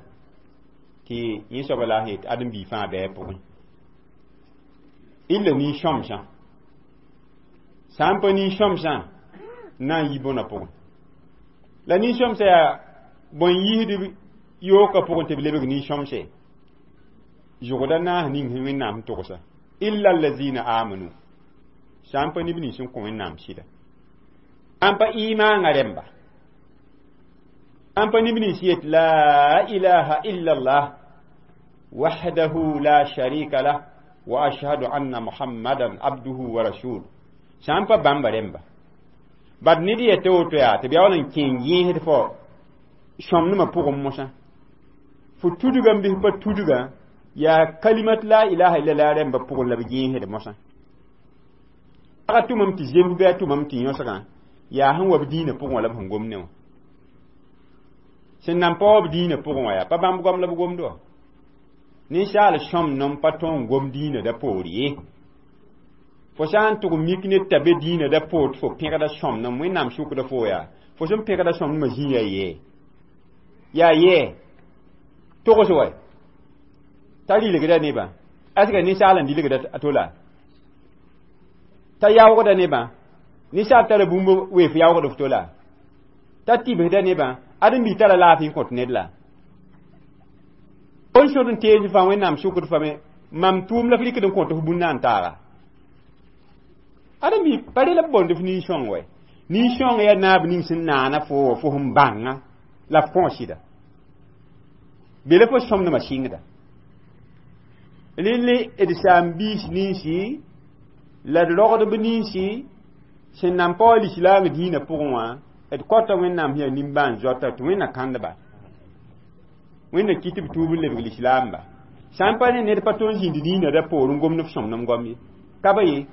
tɩ yẽ soaba la a sẽn yet ãdem-bii fãa bɩ a pʋgẽ. Illa nin-sõmsã. Sã n pa nin-sõmsã n na n yi bõna pʋgẽ. La nin-sõmsã yaa bõn yiisd yookã pʋgẽ tɩ b lebg nin-sõmse. Zʋgda naas ning sẽn Wẽnnaam sẽn togsa. Illa allazina amanu. Sã n pa neb nins sẽn kõ Wẽnnaam sɩda. Sã n pa imaangã rẽmba. Sã n pa neb nins yet la ilaha illa Allah wahdahu la sharika lah wa ashhadu anna Muhammadan abduhu wa rasuluhu. Sã n pa bãmba rẽmba. Bad ned yeta woto yaa tɩ b yaool n kẽ n yẽesd fo sõmdmã pʋgẽ mosã. Fo tudga n bɩs pa tudga yaa kalimat la ilaha illallah rẽmba pʋgẽ la b yẽesd mosã. Pagã tʋmame tɩ zems bɩ a tʋmame tɩ yõsgã yaa sẽn wa b dĩinã pʋgẽ wã la b sẽn gom ne wã. Sẽn nan pa wa b dĩinã pʋgẽ wã yaa pa bãmb goam la b gomd wã. Ninsaal sõmnem pa tõe n gom dĩinã da poor ye. Fo sã n tʋg mik ned t'a be dĩinã da poor tɩ fo pẽgda sõmnem, Wẽnnaam sʋkda fo yaa fo sẽn pẽgda sõmnemã zĩ yaa yɛɛ. Yaa yɛɛ. Togs wɛ. T'a rɩlgda nebã. Est ce que ninsaal n dilgda a to la? T'a yaoogda nebã. Ninsaal tara bũmb weef yaoogd f to la? T'a tibsda nebã. Ãdem-bi tara laafɩ n kõt ned la? Bõn sõd n tees fãa Wẽnnaam sʋkd fame, mam tʋʋm la f rɩkd n kõt f bũn na n taaga. Ãdem-bi pa rela b boond f nin-sõng wɛ. Nin-sõng yaa naab ning sẽn naana fo fo sẽn bãnga la f kõ sɩda be la fo sõmdmã sɩngda relle d saam-biis ninsi la d rogdb ninsi sẽn nan pa wa lislaam dĩinã pʋgẽ wã d kɔta Wẽnnaam sẽn yaa nimbãan-zoata tɩ Wẽnna kãndba Wẽnna kɩt b tuub n lebg lislaamba sã n pa ne ned pa tõe n zĩnd dĩinã da poor n gomd f sõmnem goam ye ka ba ye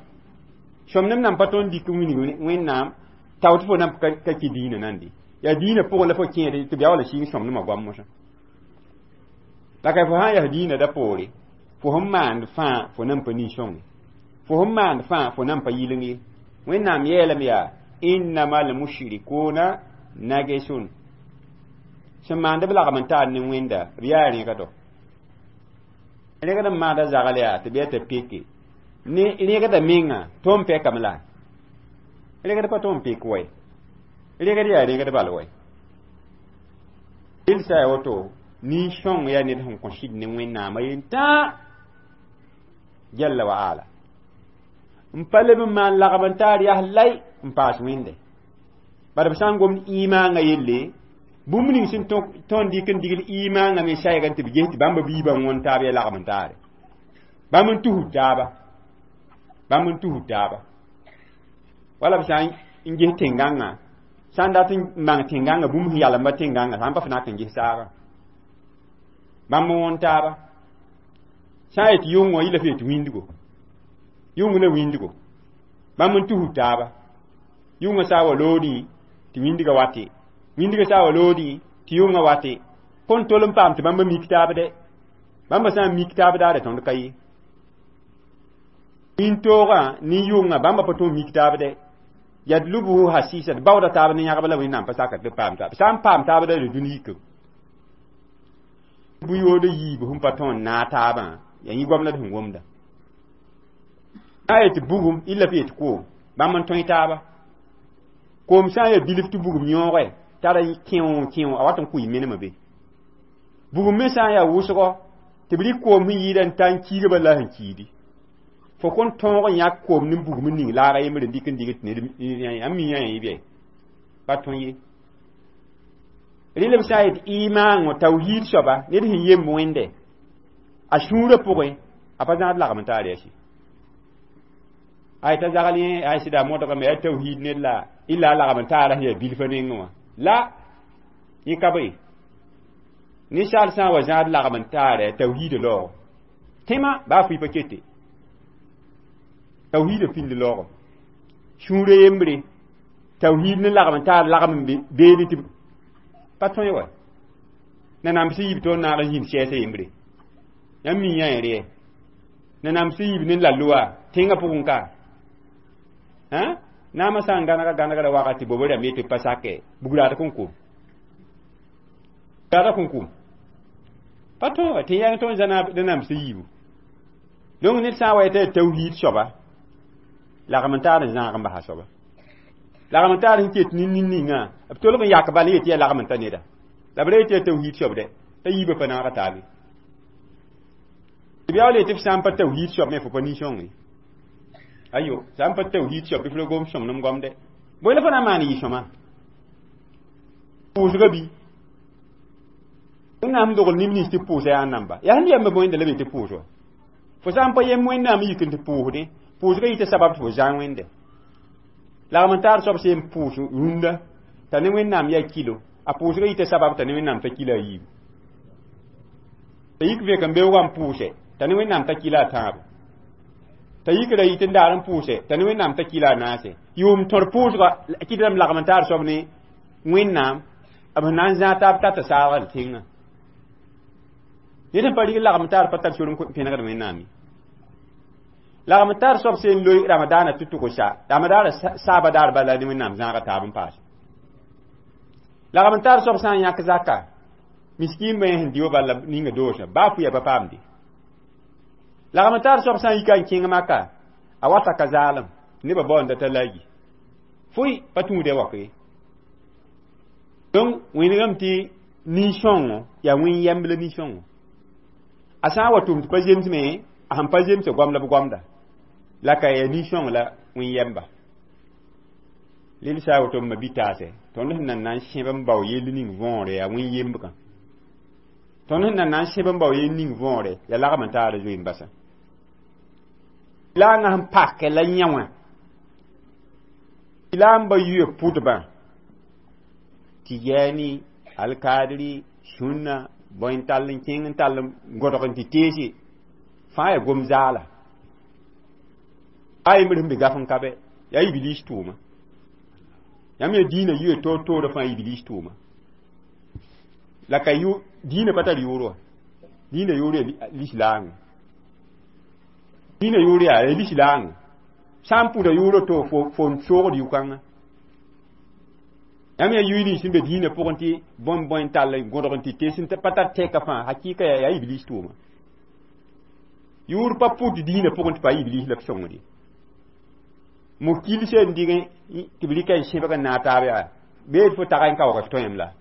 sõmnem nan pa tõe n dɩk n wilg Wẽnnaam tao tɩ fo nan ka kɩ dĩinã nande yaa dĩinã pʋgẽ la fo kẽede tɩ b yaa wala sɩng sõmnemã goam mosã la ka fo sã n yaa dĩinã da poore fo sẽn maand fãa fo nan pa nin-sõng fo sẽn maand fãa fo nan pa yɩleng ye Wẽnnaam yeelame yaa innama almushrikuna nagesun sẽn maand b lagm n taar ne Wẽnda b yaa rẽgdo rẽgd n maanda zagl yaa tɩ b yaa t'a peke ne rẽgda menga tõnd pɛkame la rẽgd pa tõnd pek wɛ rẽgd yaa rẽgd bal wɛ rel sã ya woto nin-sõng yaa ned sẽn kõ sɩd ne Wẽnnaamã yentã jalla wa ala n pa leb n maan lagm n taar yaa lay n paas Wẽnde bala b sã n gomd imaangã yelle bũmb ning sẽn tõnd dɩk n digl imaangã me saɛga tɩ b ges tɩ bãmb biibã wõn taab yaa lagm n taare bãmb n tusd taaba bãmb n tusd taaba wala b sã n ges tẽn-gãngã sã n dat n bãng tẽn-gãngã bũmb sẽn yalemba tẽn-gãngã sã n pa f nak n ges saagã bãmb n wõn taaba sã n yet yʋngã yɩla f yet wĩndgo yʋng la wĩndgo bãmb n tusd taaba yʋngã sã wa loodẽ tɩ wĩndgã wate wĩndgã sã wa loodẽ tɩ yʋngã wate kõn tol n paam tɩ bãmba mik taab dɛ bãmba sã n mik taab daare tõnd ka ye wĩntoogã ne yʋngã bãmba pa tõe mik taab dɛ yadlubuhu hasisa d baooda taab ne yãgb la Wẽnnaam pa saka tɩ b paam taab sã n paam taab da dũni yike bʋ-yood yiib sẽn pa tõe n naag taabã yaa yẽ goam la d sẽn womda sã n yet bugum illa f yet koom bãmb n tõe taaba koom sã n yaa bilf tɩ bugum yõoge tara kẽo kẽo a wat n kʋɩ menemã be bugum me sã n yaa wʋsgɔ tɩ b rɩk koom sẽn yɩɩda n ta n kiiga bala la sẽn kiidi fo kõn tõog n yãk koom ne bugum n ning laaga yembre n dɩk n dig tɩ ned n mi yã yẽ bɩ pa tõe ye rɩl b sã n yet imaangõ tawhiid soaba ned sẽn yemb Wẽnde a sũurã pʋgẽ a pa zãad lagm n taar yaa ay t'a zagl yẽ ay sɩda modgame yaa tawhiid ned la illa a lagm n taara sẽn yaa bilfã nengẽ wã la yẽ ka be ninsaal sã n wa zãad lagm n taara tawhiida laoogo tẽma baa fʋɩ pa kete tawhiida pĩnd laoogo sũurã yembre tawhiid ne lagm n taar lagm n beene tɩ pa tõe wa nanam sẽn yib tõnd naag n zĩnd sɛɛsã yembre yãmb mi yã yẽ nanam sẽn yib ne la-loa tẽngã pʋgẽ ka naamã sã n gãnega gãnegra wakat tɩ bob rãmb yetɩ pa sake bugraad kõn kum raada kõn kum pa tõe wa tɩ yãng tõnd zãna nanam sẽn yiibu donc ned sã n wa yetɩ yaa tawhiid soaba lagm n taar n zãag n basa soaba lagm n taar sẽn ket nin-nin-ningã b tolg n yak bal n yetɩ yaa lagm n ta neda la b ra yetɩ yaa tawhiid soab dɛ t'a yiibã pa naaga taabe tɩ b yaa yetɩ f sã n pa tawhiid soab me fo pa nin-sõng ye ayo sã n pa tawhiid soab bɩ f ra gom sõmnem goamdɛ bõe la fo na n maan yɩ sõma pʋʋsga bi Wẽnnaam dogl neb nins tɩ pʋʋsa yaa namba yaa sẽn yamba Wẽnda la be tɩ pʋʋs wa fo sã n pa yem Wẽnnaam yik n tɩ pʋʋsdẽ pʋʋsga yɩ tɩ sabab tɩ fo zãag Wẽnde lagm n taar soab sẽn pʋʋs rũndã t'a ne Wẽnnaam yaa kilo a pʋʋsga yɩ tɩ sabab t'a ne Wẽnnaam t'a kila a yiibu t'a yik vẽk n beoogã n pʋʋse t'a ne Wẽnnaam t'a kila a tãabo t'a yik ra yit n daar n pʋʋse t'a ne Wẽnnaam t'a kila a naase yʋʋm tõr pʋʋsga kɩtame lagm n taar soab ne Wẽnnaam b sẽn na n zãag taab tata saagd tẽngã ned sẽn pa rig lagm taar pa tar sor n pẽnegd Wẽnnaam ye lagm taar soab sẽn loe ramadaana tɩ tʋgsa ramadaana saaba daar bala ne Wẽnnaam zãaga taab n paase lagm taar soab sã n yãk zaka miskiin bã sẽn dɩ wa bala ninga doosã baa fʋya pa paamde lagm taar soab sã n yika n kẽng maka a wata ka zaalem nebã baoonda t'a lagi fʋɩ pa tũuda wak ye donc wẽnegame tɩ nin-sõngo yaa wẽn yɛmb la nin-sõngo a sã n wa tʋm tɩ pa zemsme a sẽn pa zemsa goam la b goamda la ka yaa nin-sõng la wẽn yɛmba Lel sã woto m ma-bi-taase, tõnd sẽn nan na n sẽb n bao yell ning võore yaa wẽn yembgã. Tõnd sẽn nan na n sẽb n bao yell ning võore yaa lagm n taara zoe n basa. La a ŋa sẽn pakɛ la yã wã la n ba yuya pʋdbã Tɩjaani, Alkadri, sũnna bõe n tall n kẽng n tall n gõdg n tɩ teese fãa yaa gom zaala. A yembr sẽn be gaf n ka bɛ yaa Iblis tʋʋma. Yãmb yaa dĩinã yuya toor toorã fãa Iblis tʋʋma. La ka yʋ dĩinã pa tar yʋʋr wa. Dĩinã yʋʋr yaa lislaang. Dĩinã yʋʋr yaa lislaang. Sã n pʋda yʋʋr to fo n soogd yʋ-kãngã. Yãmb yaa yʋy nins sẽn be dĩinã pʋgẽ tɩ bõe bõe n tall n gõdg n tɩ tees n pa tar tɛka fãa hakɩɩka yaa Iblis tʋʋma. Yʋʋr pa pʋd dĩinã pʋgẽ tɩ pa Iblis la b sõngd ye. Mo kilsã n dɩg tɩ b rɩka n sẽbg n naag taab yaa bee fo tag n kaoog f tõem la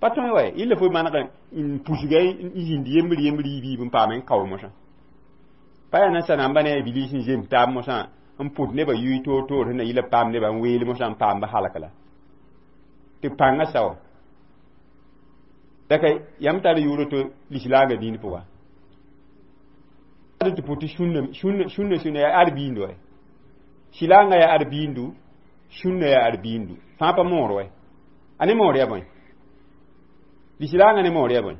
pa tõe wa yella fo maneg n pusga n zĩnd yembr yembr yiib n paam n kao mosã pa yaa nansã namba ne Iblis n zems taab mosã n pʋd nebã yʋy toor toor sẽn na yɩla paam nebã n weel mosã n paam b halk la tɩ pãngã sao la ka yãmb tar yʋʋr to lislaangã dĩin pʋga tɩ pʋ tɩ sũnna sũnna sũnna yaa arbiind wa silaangã yaa arbiindu, sũnna yaa arbiindu fãa pa moor wɛ a ne moor yaa bõe lislaangã ne moor yaa bõe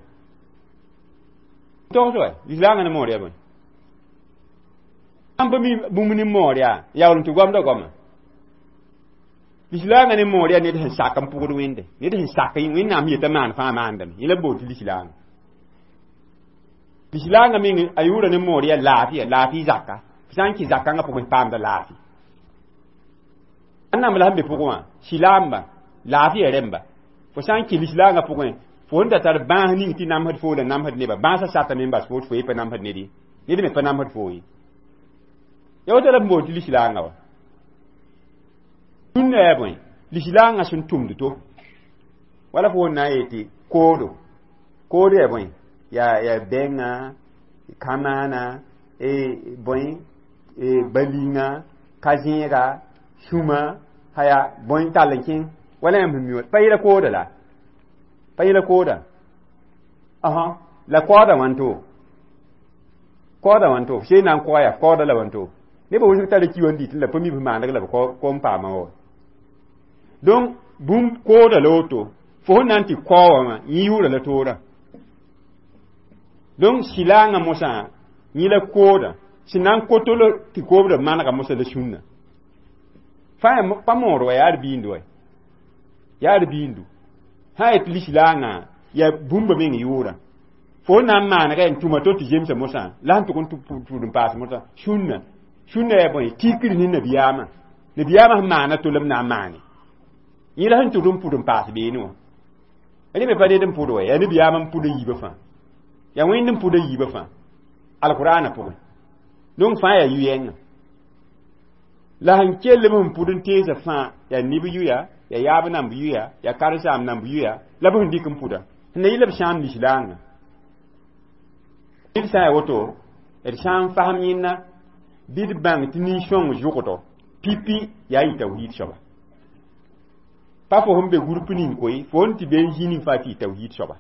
togs wɛ lislaangã ne moor yaa bõe sãn pa mi bũmb ne moor yaa yaool n tɩ goamda goama lislaangã ne moor yaa ned sẽn sak n pʋgd Wẽnde ned sẽn sak Wẽnnaam yetã maan fãa maandame yẽ la b bool tɩ lislaangã lislaangã meng a yʋʋra ne moor yaa laafɩya laafɩ zaka sã n kẽ zakãngã pʋgẽ paamda laafɩ ãnnam la sẽn be pʋgẽ wã silaamba laafɩya rẽmba fo sã n kẽ lislaangã pʋgẽ fo sẽn da tar bãas ning tɩ namsd foo la namsd neba bãasã satame n bas fo tɩ fo ye pa namsd ned ye ned me pa namsd foo ye ya woto la b bool tɩ lislaangã wa sũnna yaa bõe lislaangã sẽn tʋmd to wala fo wẽn na n yetɩ koodo koodo yaa bõe yaa bɛngã kamaana bõe balinga ka-zẽega sũma haya bõe tall n kẽng wala yãmb sẽn mi wa pa yẽla kooda la pa yẽla kooda asa la kaooda wãnto kaooda wãnto f see na n koa yaa kaooda la wãnto nebã wʋsg tara ki wã n dɩt la pa mi b maaneg la b ko n paama wa donc bũmb kooda la woto fo sẽn na n tɩ kao wã wã yẽ yʋʋra la toorã donc silaangã mosã yẽ la kooda sẽn na n koto la tɩ koobda manega mosã la sũnna fãa pa moor wa yaa arbiind wa yaa arbiindu sã yet lislaangã yaa bũmba meng yʋʋrã fo na n maanega n tʋma to tɩ zemsa mosã la sẽn tʋg n tʋd n paas mosã sũnna sũnna yaa bõe tikr ne nabiyaamã nabiyaamã sẽn maana to la b na n maane yẽ la sẽn tʋd n pʋd n paas beene wã rẽ me pa ned n pʋd wa yaa nabiyaamã n pʋd a yiibã fãa yaa Wẽnd n pʋd a yiibã fãa alqur'ana pʋgẽ donc fãa yaa yʋ-yɛngã la sẽn kell b sẽn pʋd n teesã fãa yaa neb yʋya yaa yaab namb yʋya yaa karen-saam namb yʋya la b sẽn dɩk n pʋda sẽn na yɩla b sãam lislaangã d sã n yaa woto d sã n fasem yẽnna bɩ d bãng tɩ nin-sõng zʋgdɔ pipi yaa yɩ tawhiid soaba pa fo sẽn be gũrp ning koe fo sẽn tɩ be n zĩ ning fãa tɩ yɩ tawhiid soaba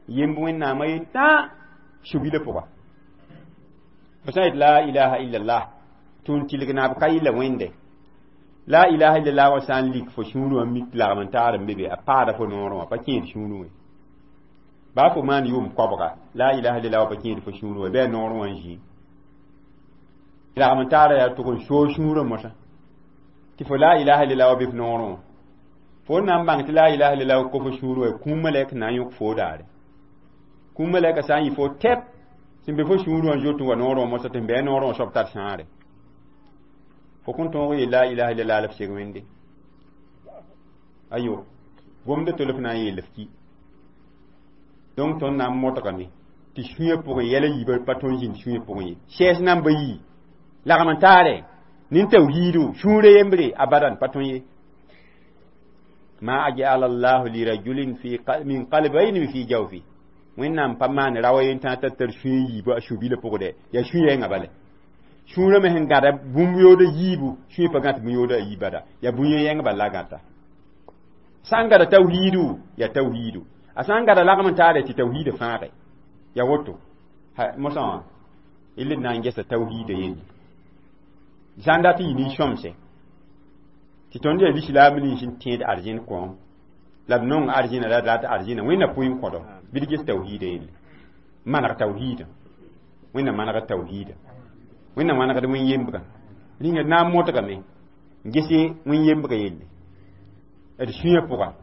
yemb Wẽnnaamã yen tã subila pʋga fo sã n yet la ilaha illallah tɩ n tɩlg naab ka yɩla Wẽnde la ilaha illallah wã sã n lik fo sũurẽ wã mik lagm n taar n be be a paada fo noorẽ wã pa kẽed sũurẽ wã baa fo maan yʋʋm koabga la ilaha illallah wã pa kẽed fo sũurẽ wã bɩ a noorẽ wã n zĩ lagm n taara yaa tʋg n soog sũurã mosã tɩ fo la ilaha illallah wã be f noorẽ wã fo n na n bãng tɩ la ilaha illallah wã ko fo sũurẽ wã kũum malɛk na n yõk foo daare kũum malɛka sã n yɩ fo tɛp sẽn be fo sũurẽ wã zoet n wa noorẽ wã mosã tɩ n bɩ a noorẽ wã soab tar sãare fo kõn tõog yeel la ilaha illallah la f seg Wẽnde ayo gomda tol f na n yeel f ki donc tõnd na n modgame tɩ sũyã pʋgẽ yɛla yiibã pa tõnd zĩnd sũyã pʋgẽ ye sɛɛs namba yi lagm n taare nin tawhiidu sũurã yembre abadan pa tõe ye ma ajala llahu lirajulin fi min qalbayni fi jawfi Wẽnnaam pa maan rawa yen tã t'a tar sũyã yiibã a su-bilã pʋgdɛ yaa sũ-yɛngã bale Sũurã me sẽn gãda bũmb yooda yiibu, sũyã pa gãt bũn-yooda a yiib bada. Yaa bũn-yẽng bal la gãta. Sã n gãda tawhiidu, yaa tawhiidu. A sã n gãda lagm n taare tɩ tawhiidã fãage. Yaa woto. Mosã wã, y led na n gesa tawhiidã yelle. Sã n dat n yɩ nin-sõmse, tɩ tõnd yaa lislaam nins n tẽed arzẽn kõom, la d nong arzẽna la d rat arzẽna, Wẽnna pʋɩ n kõdo, bɩ d ges tawhiidã yelle. Maneg tawhiidã. Wẽnna manegd tawhiidã. Wẽnna manegd wẽn-yembrã. Rĩnga d na n modgame n gese wẽn-yembrã yelle. D sũyã pʋga.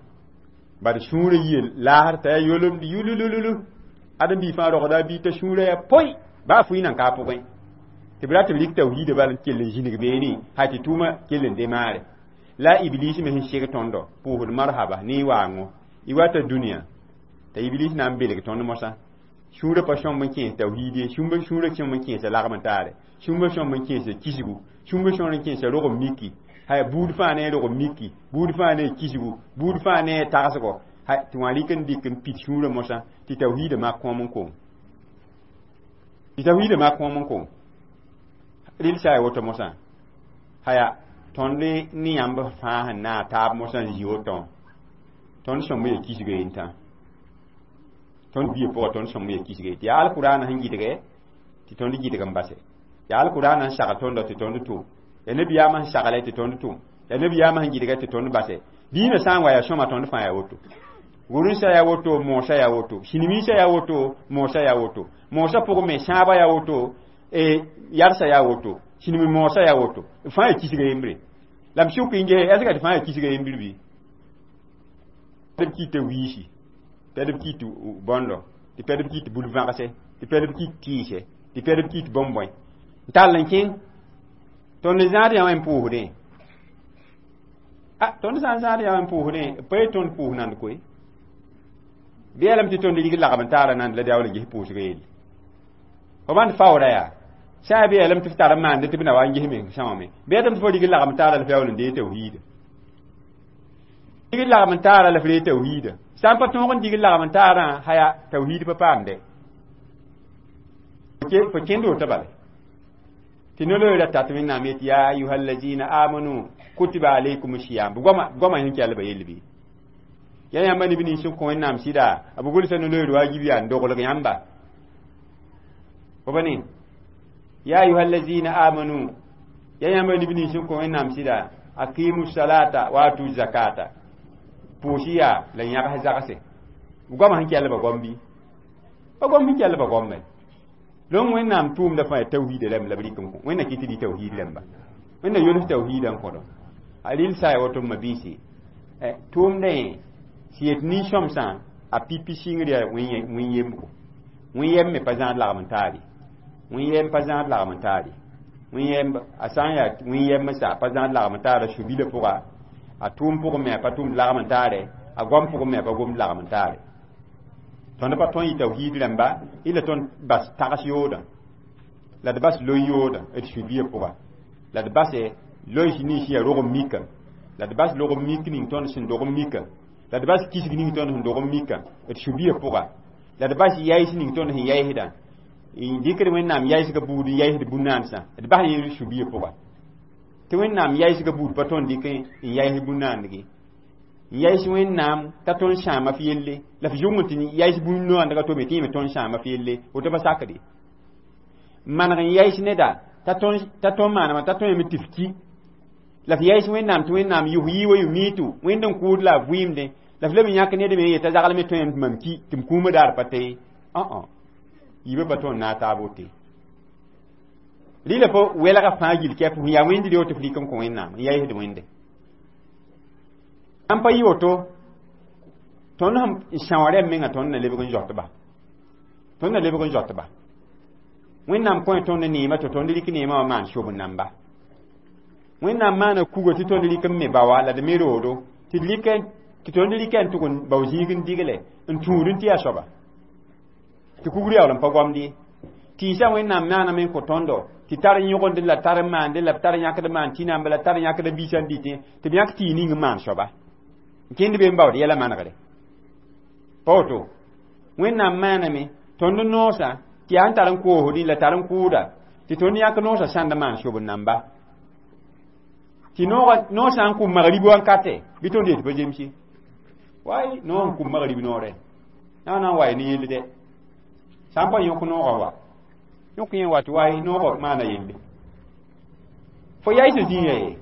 Bad sũurã yɩ laasr t'a yaa yolemd yulululu. Ãdem-biig fãa rogda a biig t'a sũurã yaa poy, baa fʋɩ nan ka a pʋgẽ. Tɩ b rat b rɩk tawhiidã bal n kell n zĩnig beene, ha tɩ tʋʋmã kell n demaare. La iblis me sẽn seg tõndo, pʋʋsd marhaba ne y waango. Y wata dũniyã, t'a iblis na n belg tõnd mosã. Sũurã pa sõmb n kẽes tawhiid ye, sũurã sõmb n kẽesa lagm n taare, sũurã sõmb n kẽesa kisgu, sũurã sõmb n kẽesa rog n miki, hay buud fãa ne rog n miki, buud fãa ne kisgu, buud fãa ne tagsgo, hay tɩ wã rɩk n dɩk n pit sũurã mosã, tɩ tawhiidã mak kõom n kong. Tɩ tawhiidã mak kõom n kong. Rɩl sã ya woto mosã, haya tõnd ne yãmb fãa sẽn naag taab mosã n zĩ woto, tõnd sõmb ya kisga yentã. Tõnd bia pʋga tõnd sõmb ya kisga tɩ yaa alkurana sẽn gɩdge tɩ tõnd gɩdg n base. Yaa alkurana sẽn sagl tõndã tɩ tõnd tʋm. Yaa nabiyaamã sẽn sagle tɩ tõnd tʋm. Yaa nabiyaamã sẽn gɩdga tɩ tõnd base. Dĩinã sã n wa yaa sõma tõnd fãa yaa woto. Gʋrensã yaa woto, moosã yaa woto. Sĩnimiisã yaa woto, moosã yaa woto. Moosã pʋgẽ me sãabã yaa woto, yarsã yaa woto, sĩnimi moosã yaa woto. B fãa yaa kisga yembre. La m sʋk n ges, est-ce que tɩ fãa yaa kisga yembr bɩ? B kɩta wiisi, pɛd b kɩt bõndo, tɩ pɛd b kɩt bul-vãgse, tɩ pɛd b kɩt tɩɩse, tɩ pɛd b kɩt bõn-bõe. N tall n kẽng. Tõnd zãad yã wã n pʋʋsdẽ. Tõnd sã n zãad yã wã n pʋʋsdẽ, b pa ye tõnd pʋʋs nand koe. Bɩ yaa lame tɩ tõnd rig lagm n taara nand la daool n ges pʋʋsgã yelle. Fo bãnd faoora yaa, sã n yaa bɩ yaa lame tɩ f tar n maande tɩ b na wa n ges meng sõame. Bɩ yaa tɩ fo rig lagm taara la f yaool n dee tawhiida. Dig lagm n taara la f ree tawhiida. Sã n pa tõog n dig lagm n taarã, haya tawhiid pa paamde. Fo kẽnd woto bala. Tɩ no-loeerã tat Wẽnnaam yetɩ ya ayuha allazina amanu kutiba alaykum siyam. B goama sẽn kell ba yell bɩ. Ya yãmba neb nins sẽn kõ Wẽnnaam sɩda, b gʋlsa no-loeer waajib yaa n doglg yãmba. Fo ba ne? Ya ayuha allazina amanu, ya yãmba neb nins sẽn kõ Wẽnnaam sɩda, aqimu salata wa atu zakata. Pʋʋs yaa la yãgs zagse. B goama sẽn kell ba gom bɩ? Ba gom sẽn kell ba gomme. Donc Wẽnnaam tʋʋmda fãa yaa tawhiidã rãmb la b rɩk n kõ. Wẽnna kɩ tɩ dɩ tawhiid rãmba. Wẽnna yols tawhiidã n kõdo. A rɩl sã ya woto m mabiisi. Tʋʋmdã yẽ sẽn yet nin-sõmsã, a pipi sɩngr yaa wẽn-yembgo. Wẽn-yɛm me pa zãad lagm n taar ye. Wẽn-yɛm pa zãad lagm n taar ye. Wẽn-yɛmb, a sã n yaa wẽn-yɛm n sa, a pa zãad lagm n taara su-bilã pʋga, a tʋʋm pʋgẽ me a pa tʋmd lagm n taare, a goam pʋgẽ me a pa gomd lagm n taare. Tõnd pa tõn yɩ tawhiid rãmba, y la tõnd bas tags yoodã, la d bas loy yoodã d su-biã pʋga, la d base lois nins yaa rog n mika, la d bas log n mik ning tõnd sẽn dog n mika, la d bas kisg ning tõnd sẽn dog n mika d su-biã pʋga, la d bas yaɩs ning tõnd sẽn yaɩsdã, n dɩkd Wẽnnaam yaɩsga buud n yaɩsd bũn-naansã, d bas yẽ su-biã pʋga. Tɩ Wẽnnaam yaɩsga buud pa tõnd dɩk n yaɩs bũn-naandge. N yaɩs Wẽnnaam t'a tõnd sãama f yelle, la f zʋng tɩ yaɩs bũn-noandga to me tɩ yẽ me tõnd sãama f yelle, woto pa sakde. N maneg n yaɩs neda t'a tõnd maanema t'a tõe yame tɩ f ki, la f yaɩs Wẽnnaam tɩ Wẽnnaam yʋs yɩ wa yʋ miitu, Wẽnd n kʋʋd la a vɩɩmdẽ, la f leb n yãk ned me n yeta zaglme tõe yame tɩ mam ki, tɩ m kũumã daar pa tee. Yiibã pa tõnd naag taab wote. Rɩla fo welga fãa gill kɛp sẽn yaa wẽnd reo tɩ f rɩk n kõ Wẽnnaam n yaɩsd Wẽnde. Sãn pa yɩ woto, tõnd sẽn são rɛm mengã tõnd na lebg n zoat-ba. Tõnd na lebg n zoat-ba. Wẽnnaam kõ tõnd neema tɩ tõnd rɩk neemã wã maan sob n namba. Wẽnnaam maana kuga tɩ tõnd rɩk n me baoa la d me roodo, tɩ tõnd rɩk n tʋg n bao zĩig n digle n tũud n tɩ yaa soaba. Tɩ kugr yaool n pa gomd ye. Tɩɩsã Wẽnnaam maaname n kõ tõndo tɩ tar yõgend la tar n maande la b tar yãkd maan tɩ-namba la tar yãkd biisã n dɩtẽ tɩ b yãk tɩ ning n maan soaba. N kẽnd be n baood yɛla manegre. Pa woto, Wẽnnaam maaname tõnd noosã tɩ yaa n tar n koosdẽ la tar n kʋʋda Tɩ tõnd yãk noosã sãnd maan sob n namba. Tɩ noog sã n kʋ magrib wankate, bɩ tõnd yet pa zemse. Wai, noog n kʋ magrib noorɛ. Na n wa ne yell dɛ. Sã n pa yõk noogã wa. Yõk yẽ wa tɩ wai noogã maana yelle. Fo yaɩs zĩigã ye.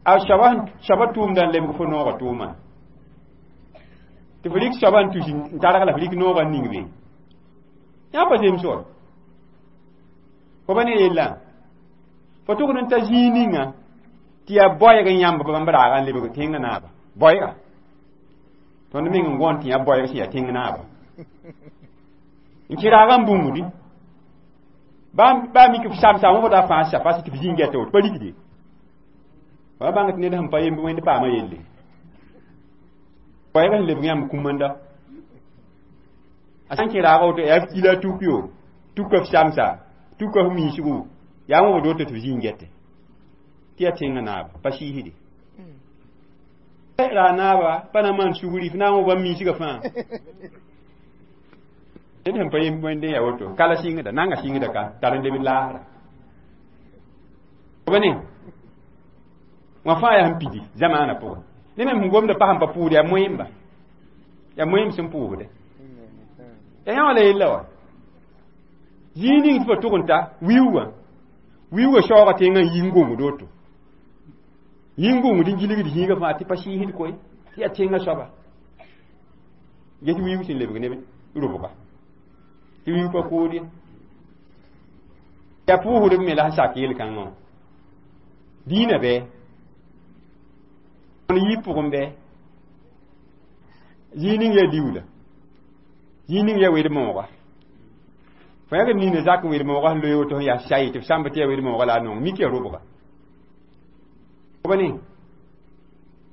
A soaba tʋʋmdã n lebg fo noogã tʋʋma. Tɩ fo rɩk soaba n tus n targ la fo rɩk noogã n ning be. Yã pa zems wa. Fo pa ne yellã. Fo tʋgd n ta zĩig ninga tɩ yaa boɛɛg n yãmb bãmb raagã n lebg tẽngã naaba. Boɛɛga. Tõnd meng n gõen tɩ yã boɛɛg sẽn yaa tẽng naaba. N kẽ raagã n bũmdi. Baa mik f samsa wã da fãa sa fas tɩ f zĩig gɛta woto pa rikde. Wa bãng tɩ ned sẽn pa yemb wẽnd paama yelle. Boɛɛg sẽn lebg yãmb kũmanda. A sã n kẽ raagã woto yaa f kila tuk yo, tuka f samsa, tuka f miisgu, yaa wã woto tɩ f zĩig gɛte. Tɩ yaa tẽngã naaba, pa sɩɩsde. Ra naaba pa na maan sugri, f na n wã bãmb miisgã fãa. Ned sẽn pa yemb wẽnde yaa woto, kala sɩngda, nanga sɩngda ka, tar n leb laasra. B ne wã fãa yaa sẽn pidi zamaanã pʋgẽ. Ne me sẽn gomda pa sẽn pa pʋʋd yaa moẽmba. Yaa moẽmb sẽn pʋʋsde. Yaa yã wã la yella wa. Zĩig ning tɩ fo tʋg n ta wiuugã. Wiuugã shaoogã tẽngã n yi n gongd woto. Yi n gongd n gilgd zĩigã fãa tɩ pa sɩɩsd koe, tɩ yaa tẽngã soaba. Get wiuug sẽn lebg neb rʋbga. Tɩ wiuug pa kood ye. Yaa pʋʋsdb me la sẽn sak yel-kãngã wã. Dĩinã bɩ. Tõnd yiib pʋgẽ bɩ. Zĩig ning yaa liuula. Zĩig ning yaa wed-mooga. Fo yãgd nina zak n wed-moogã sẽn loe woto sẽn yaa say tɩ f sãmb tɩ yaa wed-moogã la a nong mik yaa rʋbga. B ne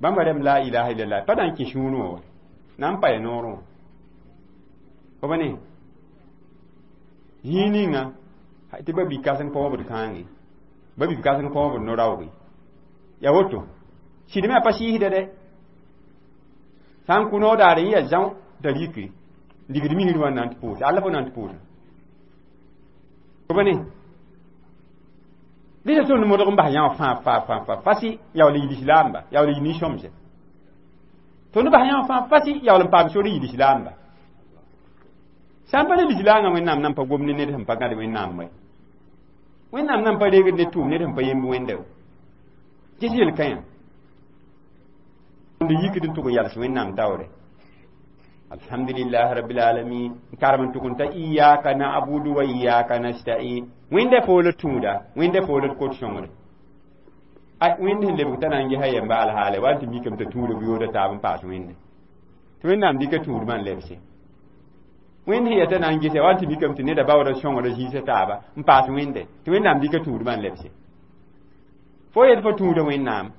bãmba rẽmb la ilaha illallah pa na n kẽ sũurẽ wã wa. Na n pa ya noorẽ wã. B ne zĩig ninga tɩ ba bi kãseng pa wãbd kãange, ba bi kãseng pa wãbd no-raooge. Yaa woto. Sɩd me a pa sɩɩsda dɛ. Sã n kʋ noor daare yẽ yaa zão t'a rike ligd misr wã n na n tɩ pʋʋse. Alla fo na n tɩ pʋʋsa. B ne dɩ tõnd modg n bas yã wã fãa fãa fãa fãa fasi yaool n yil islaamba, yaool n yil nin-sõmse. Tõnd bas yã wã fãa fasi yaool n paam sor n yil islaamba. Sã n pa ne lislaangã Wẽnnaam nan pa gom ne ned sẽn pa gãd Wẽnnaam wɛ. Wẽnnaam nan pa reegd ne tʋʋm ned sẽn pa yemb wẽnda. Ges yel-kãyã. Tõnd yikd n tʋg n yals Wẽnnaam taoore. Alhamdulillah rabbil alamin. N karem n tʋg n ta iyaka na'budu wa iyaka nasta'in. Wẽnda fo la tũuda, wẽnda fo la kot sõngre. Ay wẽnd sẽn lebg t'a na n gesa yɛmba alhaale wa tɩ mikame t'a tũuda bʋyooda taab n paas wẽnde. Tɩ Wẽnnaam dɩka tũudmã n lebse. Wẽnd sẽn yaa t'a na n gesa wa tɩ mikame tɩ neda baooda sõngra zĩisa taaba n paas wẽnde. Tɩ Wẽnnaam dɩka tũudmã n lebse. Fo yet fo tũuda Wẽnnaam.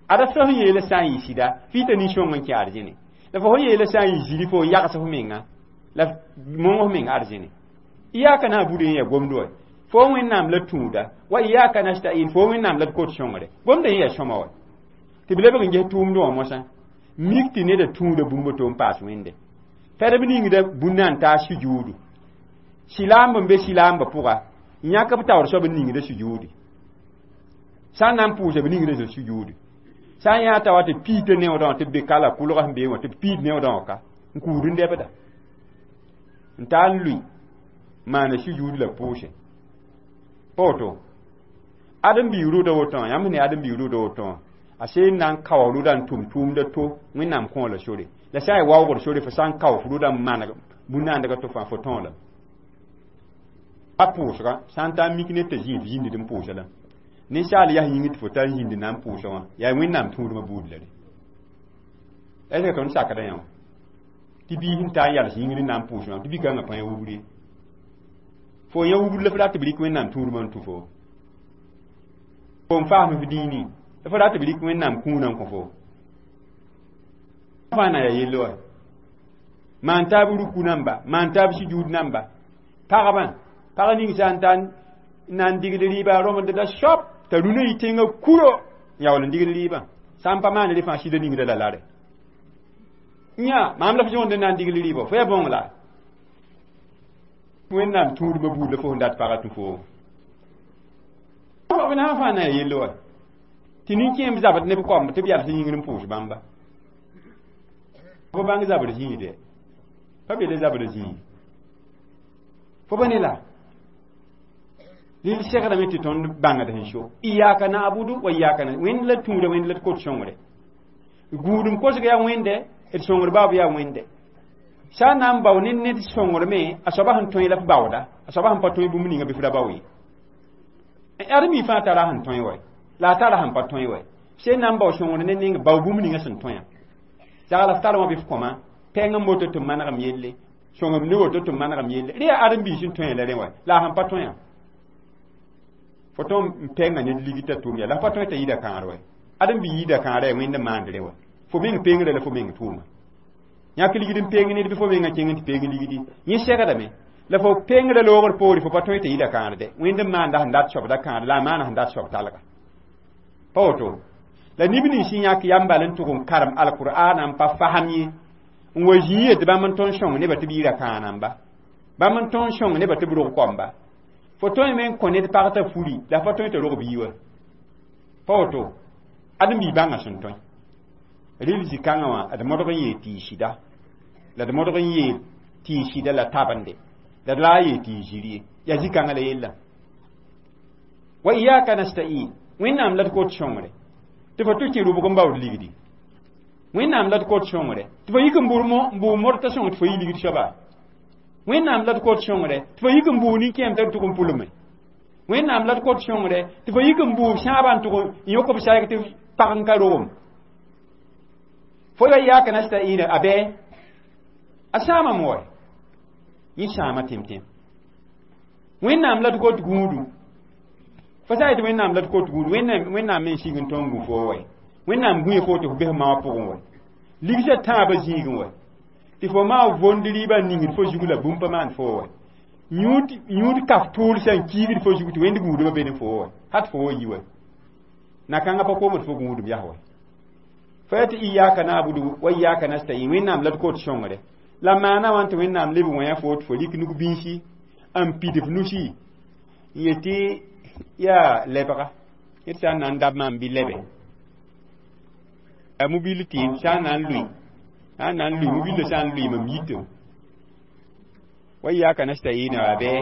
Ada fo sẽn yeela sã n yɩ sɩda, fɩ t'a nin-sõng n kẽ arzẽne. La fo sẽn yeela sã n yɩ ziri fo yags f menga, la mong f meng arzẽne. Iyaka na'budu yẽ yaa gomd wa. Fo Wẽnnaam la tũuda, wa iyaka nasta'in fo Wẽnnaam la d kot sõngre. Gomdã yẽ yaa sõma wa. Tɩ b lebg n ges tʋʋmdẽ wã mosã. Mik tɩ neda tũuda bũmb to n paas wẽnde. Fɛdb ningda bũnna n taa sujuudu. Silaamb n be silaambã pʋga, yãk b taoor soab n ningda sujuudi. Sã n na n pʋʋsa b ningda sujuudi. Sã n yã t'a wa tɩ piita neoodã wã tɩ b be ka la kʋlgã sẽn bee wã tɩ b piid neoodã wã ka n kuud n dɛbda. N taa n lʋɩ maana sujuud la pʋʋse. Pa woto. Ãdem-biig rʋʋda woto wã, yãmb sẽn ne ãdem-biig rʋʋda woto wã, a seen na n kao rʋʋda n tʋm tʋʋmda to Wẽnnaam kõo la sore. La sã n yaa waoogd sore fo sã n kao f rʋʋda n maneg bũn-naandga to fãa fo tõo lame. Pa pʋʋsga sã n taa n mik ned t'a zĩig zĩnd n pʋʋsa lame. Ninsaal yaa yĩng tɩ fo tar n zĩnd na n pʋʋsa wã, yaa Wẽnnaam tũudmã buud la re. La tõnd sakda yã wã. Tɩ biis n taa n yals yĩngr n na n pʋʋs wã, tɩ bi-kãngã pa yã wubr ye. Fo yã wubr la fo rat tɩ b rɩk Wẽnnaam tũudmã n tũ fo. Fo n faasm f dĩinẽ, la fo rat tɩ b rɩk Wẽnnaam kũunã n kõ fo. Fãa na yaa yell wa. Maan taab ruku namba, maan taab sujuud namba. Pagba, pag ning sã n taa n na n digd rɩɩba rõmd da soab t'a rũnã yɩ tẽngã kuro yaool n digd rɩɩbã. Sã n pa maan rẽ fãa sɩda ningda la lare. Yã, maam la f yõond n na n digl rɩɩbã, fo yaa bõng la. Wẽnnaam tũudmã buud la fo sẽn dat pagã tũ foo. B na n fãa na n yell wa tɩ nin-kẽem zabd ne b koamb tɩ b yals yĩngr n pʋʋs bãmba. Fo bãng zabr zĩigde, pa be la zabr zĩig fo ba ne la rɩl segrame tɩ tõnd bãngd sẽn so iyaka na'budu wa iyaka na Wẽnd la tũuda, Wẽnd la d kot sõngre. Gũudum kosg yaa Wẽnde, d sõngr baob yaa Wẽnde. Sã n na n bao ne ned sõngr me, a soaba sẽn tõe la f baooda, a soaba sẽn pa tõe bũmb ninga bɩ f ra bao ye. Ãdem-bi fãa tara sẽn tõe wa, la a tara sẽn pa tõe wa. Sẽn na n bao sõngr ne neng, bao bũmb ninga sẽn tõe. Zagla f tar wã bɩ f kõma pɛng n moto tɩ m manegem yelle, sõngem ne woto tɩ m manegem yelle. Rẽ yaa ãdem-biis sẽn tõe la rẽ wa, la a sẽn pa tõe. Fo tõn n pɛnga ned ligd t'a tʋʋm yaa, la f pa tõe t'a yida kãagr wa. Ãdem-bi yida kãagra yaa Wẽnd n maand rẽ wa. Fo meng pengra la fo meng tʋʋma. Yãk ligd n peng ned bɩ fo mengã kẽng n tɩ peng ligdi. Yẽ segdame la fo pengra loogr poore, fo pa tõe t'a yida kãagr. Wẽnd n maanda sẽn dat soab da kãagr, la a maana sẽn dat soab talga. Pa woto la neb nins sẽn yãk yam bal n tʋg n karem alkur'aana n pa fasem ye n wa zĩig yetɩ bãmb n tõnd sõng nebã tɩ b yira kãanamba, bãmb n tõnd sõng nebã tɩ b rog koamba. Fo tõe me n kõ ned pag t'a furi, la f pa tõe t'a rog bii wa. Pa woto ãdem-bi bãngã sẽn tõe. Rɩl zĩ-kãngã wã d modg n yeel tɩ y sɩda, la d modg n yeel tɩ y sɩda la tabende, la d la a yeel tɩ y zir ye. Yaa zĩ-kãngã la yella wa iyaka nasta'in. Wẽnnaam la d kot sõngre tɩ fo tʋ kẽ rʋbg n baood ligdi. Wẽnnaam la d kot sõngre tɩ fo yik n bʋ modta sõng tɩ fo yi ligd soaba. Wẽnnaam la d kot sõngre tɩ fo yik n bʋ nin-kẽem t'a tʋg n pʋlme. Wẽnnaam la d kot sõngre tɩ fo yik n bʋ sãabã n tʋg n yõk b saɛg tɩ pag n ka rogem. Fo wa iyaka nasta'in a bɛ a sãamame wa, yẽ sãama tẽm-tẽm. Wẽnnaam la d kot gũudu. Fo sã yetɩ Wẽnnaam la d kot gũudu, Wẽnnaam me n sig n tõng gũ foo wa. Wẽnnaam gũe fo tɩ fo bes maoã pʋgẽ wa, ligsã tãabã zĩigẽ wa, tɩ fo maa vond rɩɩbã ningd fo zug la bũmb pa maan foo wa. Yũud kaf tʋʋl sã n kiigd fo zug tɩ Wẽnd gũudbã be ne foo wa, hat fo wa yi wa. Na-kãngã pa koomd fo gũudum yas wa. Fo yaa tɩ iyaka na'budu wa iyaka nasta'in, Wẽnnaam la d kot sõngre. La maana wã tɩ Wẽnnaam leb wẽa fo tɩ fo rɩk nug bĩnsi n pid f nusi n yetɩ yaa lebga ned sã n na n dab maam bɩ lebe a mobil tɩɩm sã n na n lʋɩ, sã n na n lʋɩ mobilã, sã n lʋɩ mam yitem wa iyaka nasta'in wa bɩ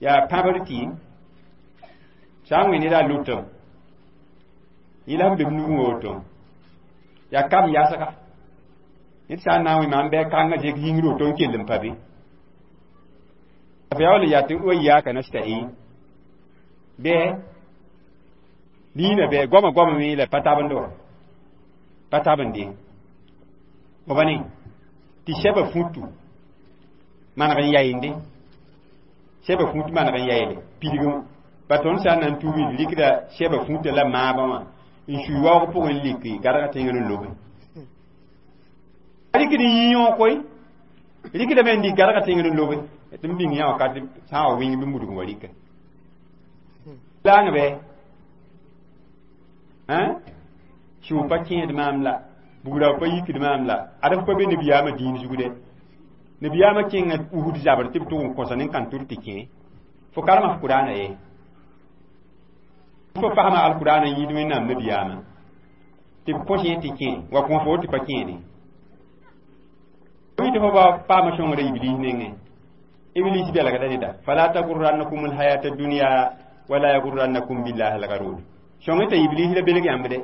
yaa pãbr tɩɩm sã n wẽ ned a lʋtem yẽ la sẽn be b nugẽ woto yaa kam yasga ned sã n na n wẽ maam bɩ kãngã zek yĩngr woto n kell n pa be f yaool yaa tɩ wa iyaka nasta'in bɩ liina bɩ goama goama me la pa tabend wa, pa tabende b ne tɩ sɛba futu maneg n yayende, sɛba fut maneg n yayle pidg pa. Tõnd sã n na n tuugi d rɩkda sɛba futa la maabã wã n sui waoog pʋgẽ n liki garga tẽngr n lobe. Rɩkd n yɩ yõog koe, rɩkdame n lik garga tẽngr n lobe tɩ m bĩng yã wakat sã n wa wĩng bɩ mudg wa rɩka laang bɛ sʋʋ pa kẽed maam la bugra pa yikd maam la ad f pa be nabiyaamã dĩin zugde. Nabiyaamã kẽnga Uhud zabr tɩ b tʋg n kõsa nin-kãn tʋr tɩ kẽ. Fo karema f Kʋraana ye, fo fasma alkʋraana n yĩid Wẽnnaam nabiyaamã tɩ b kõs yẽ tɩ kẽ wa kõ fo tɩ pa kẽede tɩ fo ba paama sõngrã Iblis nengẽ. Iblis belgda neda fala tagurrannakum alhayata dunya wala yagurrannakum billahi algarur. Sõng t'a Iblis la belg yãmb de.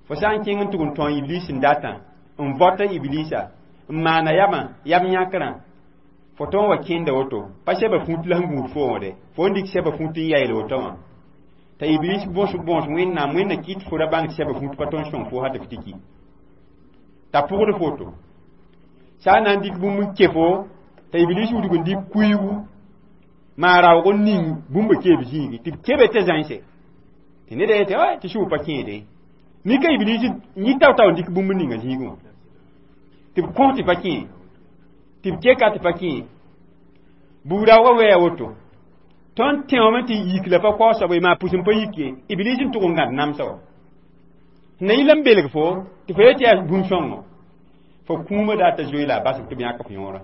Fo sã n kẽng n tʋg n tõe Iblis n datã n vɔta Iblisa n maana yamã yam yãkrã, fo tõn wa kẽnda woto pa sɛba fũut la sẽn gũud fo wã de. Fo n dɩk sɛba fũut n yayl woto wã t'a Iblis bõs bõs Wẽnnaam. Wẽnna kɩt fo ra bãng tɩ sɛba fũut pa tõn sõng fo ha tɩ f tɩ ki t'a pʋgd foto. Sã n na n dɩk bũmb n ke fo t'a Iblis wudg n dɩk kuiigu maa raoog n ning bũmba keeb zĩigi tɩ b kebe t'a zãnse tɩ ned yetɩ tɩ sʋʋ pa kẽede. Mika Iblis yĩ tao-tao n dɩk bũmb ninga zĩigẽ wã tɩ b kõ tɩ pa kẽ, tɩ b keka tɩ pa kẽ. Buug-raoogã wɛɛ woto tõnd tẽome tɩ yik la pa kao soab maa pʋs n pa yik ye. Iblis n tʋg n gãd namsa wa na yɩla n belg fo tɩ fo yetɩ yaa bũmb sõngo. Fo kũumã dat t'a zoe la a bas tɩ b yãk f yõorã.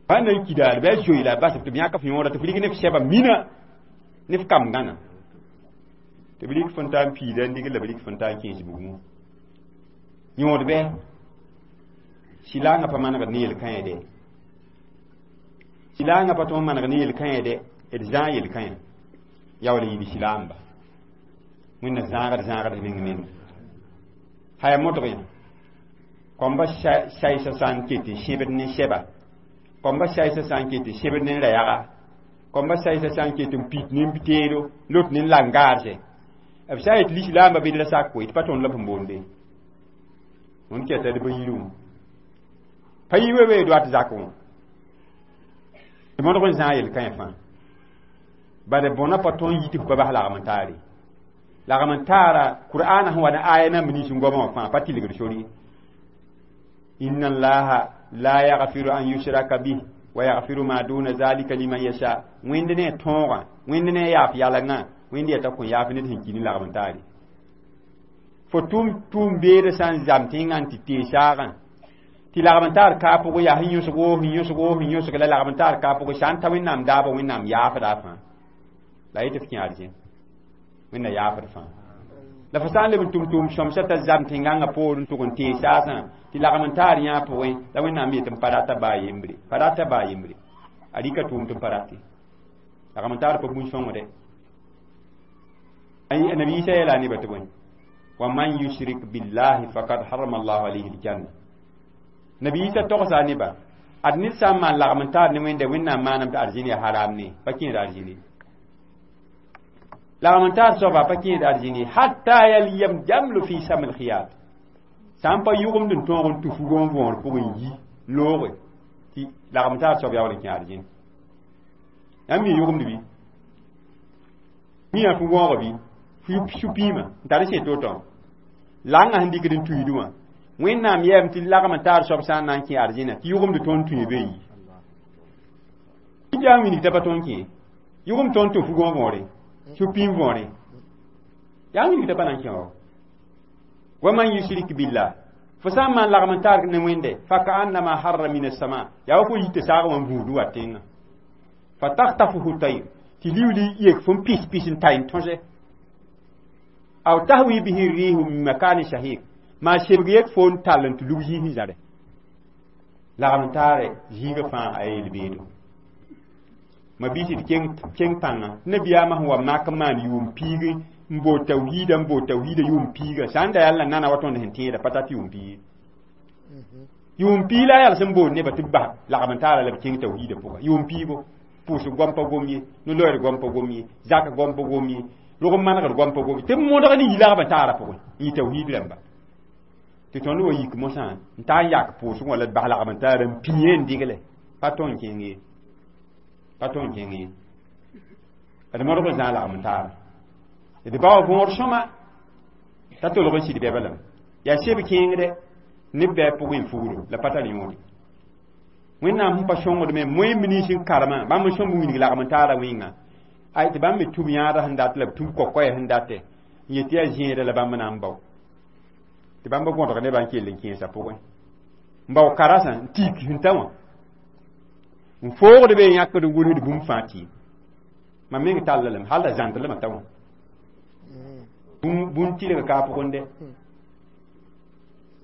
Pa na n ki daare bɩ a zoe la a bas tɩ b yãk f yõorã tɩ f rig ne f sɛba mina ne f kam gãna. Tɩ b rig fõn taa n piida n dig la b rig fõn taa n kẽes bugmã. Yõod bɩ sɩlaangã pa manegd ne yel-kãe dɛ. Sɩlaangã pa tõe n maneg ne yel-kãe dɛ, d zãag yel-kãe. Yaool n yɩɩd sɩlaamba. Wẽnna zãagd zãagd meng meng. Haya modg yã. Kõmba saɩsã sã n ket n sẽbd ne sɛba. Kõmba saɩsã sã n ket n sẽbd ne ra-yaga. Kõmba saɩsã sã n ket n pit ne teedo, lot ne langaarse. B sã n yet lislaambã bɩ d ra sak koe, tɩ pa tõnd la b sẽn boonde. Wẽnd kɛta d ba yirẽ. Pa yi we doat zak wã. Tɩ modg n zãag yel-kãe fãa. Bala bõna pa tõe n yit f pa bas lagm n taare. Lagm n taara Kur'aana sẽn wa ne aya nan nins n goamã wã fãa pa tilgd sori. Inna allaha la yaghfiru an yushraka bih wa yaghfiru ma duna zalika liman yasha. Wẽnd ne tõogã, wẽnd ne yaaf yalengã, wẽnd yeta kõ yaaf ned sẽn ki ne lagm n taare. Fo tʋm tʋʋm beedã sã n zam tẽngã n tɩ tee saagã tɩ lagm n taar kaa pʋgẽ yaa sẽn yõsgo sẽn yõsgo sẽn yõsg la lagm n taar kaa pʋgẽ sã n ta Wẽnnaam daabã Wẽnnaam yaafda fãa. La yetɩ f kẽ arzẽn. Wẽnna yaafd fãa. La fo sã n leb n tʋm tʋʋm sõmsã t'a zam tẽngãngã poor n tʋg n tee saasã tɩ lagm n taar yã pʋgẽ la Wẽnnaam yet n pa rata baa yembre. Pa rata baa yembre. A rɩka tʋʋm tɩ n pa rate. Lagm n taar pa bũn-sõngde. Nabi Isa yeela nebã tɩ bõe? Wa man yushrik billahi faqad harama Allahu alayhi aljanna. Nabi Isa togsa nebã ad ned sã n maan lagm n taar ne Wẽnda Wẽnnaam maanam tɩ arzĩn yaa haram ne pa kẽed arzĩne. Lagm n taar soaba pa kẽed arzĩne hatta yalyam jamlu fi sam lkhiyat. Sã n pa yʋgemd n tõog n tũ fugã n võor pʋgẽ n yi looge tɩ lagm n taar soab yaool n kẽ arzĩn. Yãmb mi yʋgemd bɩ? Mi yaa fu-võogã bɩ? Su-piimã n tar n sẽe to-tõ. Langã sẽn dɩkd n tuiidẽ wã. Wẽnnaam yɛɛm tɩ lagm n taar soab sã n na n kẽ arzĩna tɩ yʋgemd tõnd tũ be yi. Yaa wilg t'a pa tõnd kẽ. Yʋgem tõnd tũ fugã võore. Su-piim võore. Yaa wilg t'a pa na n kẽ wa. Wa man yushrik billah. Fo sã n maan lagm n taar ne Wẽnde fa ka'annama harra min as-sama. Yaa wa fo yita saag wã n buud wa tẽngã. Fa takhtafuhu tayr. Tɩ liuli yek fo n pis pis n ta n tõse. Aw tahwi bihi rihu min makanin shahiq. Maa sebg yek fo n tall n tɩ lug zĩig sẽn zare. Lagm n taare zĩigã fãa a yel-beedo. Ma biisi tɩ kẽng pãnga. Nabiyaamã sẽn wa mak n maan yʋʋm piig n bood tawhiida n bood tawhiida yʋʋm piiga. Sã n da yaa la nana wa tõnd sẽn tẽeda pa tat yʋʋm piig. Yʋʋm piig la a yaa sẽn bood nebã tɩ b bas lagm n taara la b kẽng tawhiida pʋga. Yʋʋm piigo. Pʋʋsg goam pa gom ye, no-loeer goam pa gom ye, zak goam pa gom ye, rog n manegd goam pa gom ye. Tɩ b modg ne yi lagm n taara pʋgẽ, n yɩ tawhiid rãmba. Tɩ tõnd wa yik mosã n taa n yak pʋʋsg wã la d bas lagm n taara n pĩe n digle. Pa tõnd kẽng ye. Pa tõnd kẽng ye. D modg n zãag lagm n taara. D bao võor sõma t'a tolg n sɩd bɛba lame. Yaa seb kẽengdɛ neb bɩ a pʋgẽ n fugro la pa tar yõode. Wẽnnaam sẽn pa sõngd me moẽmb nins n karemã bãmb n sõmb wilg lagm n taara wẽnga. Ay tɩ bãmb me tũb yãadã sẽn dat la b tũb kokoɛɛ sẽn datɛ n yet tɩ yaa zẽeda la bãmb na n bao. Tɩ bãmb gõdg nebã n kell n kẽesã pʋgẽ. N bao karasã n tik sẽn ta wã. N foogd be n yãkd n gʋlsd bũmb fãa tɩ. Mam meng talla lame hal la zãnd lame ta wã. Bũn tɩlg ka pʋgẽ dɛ.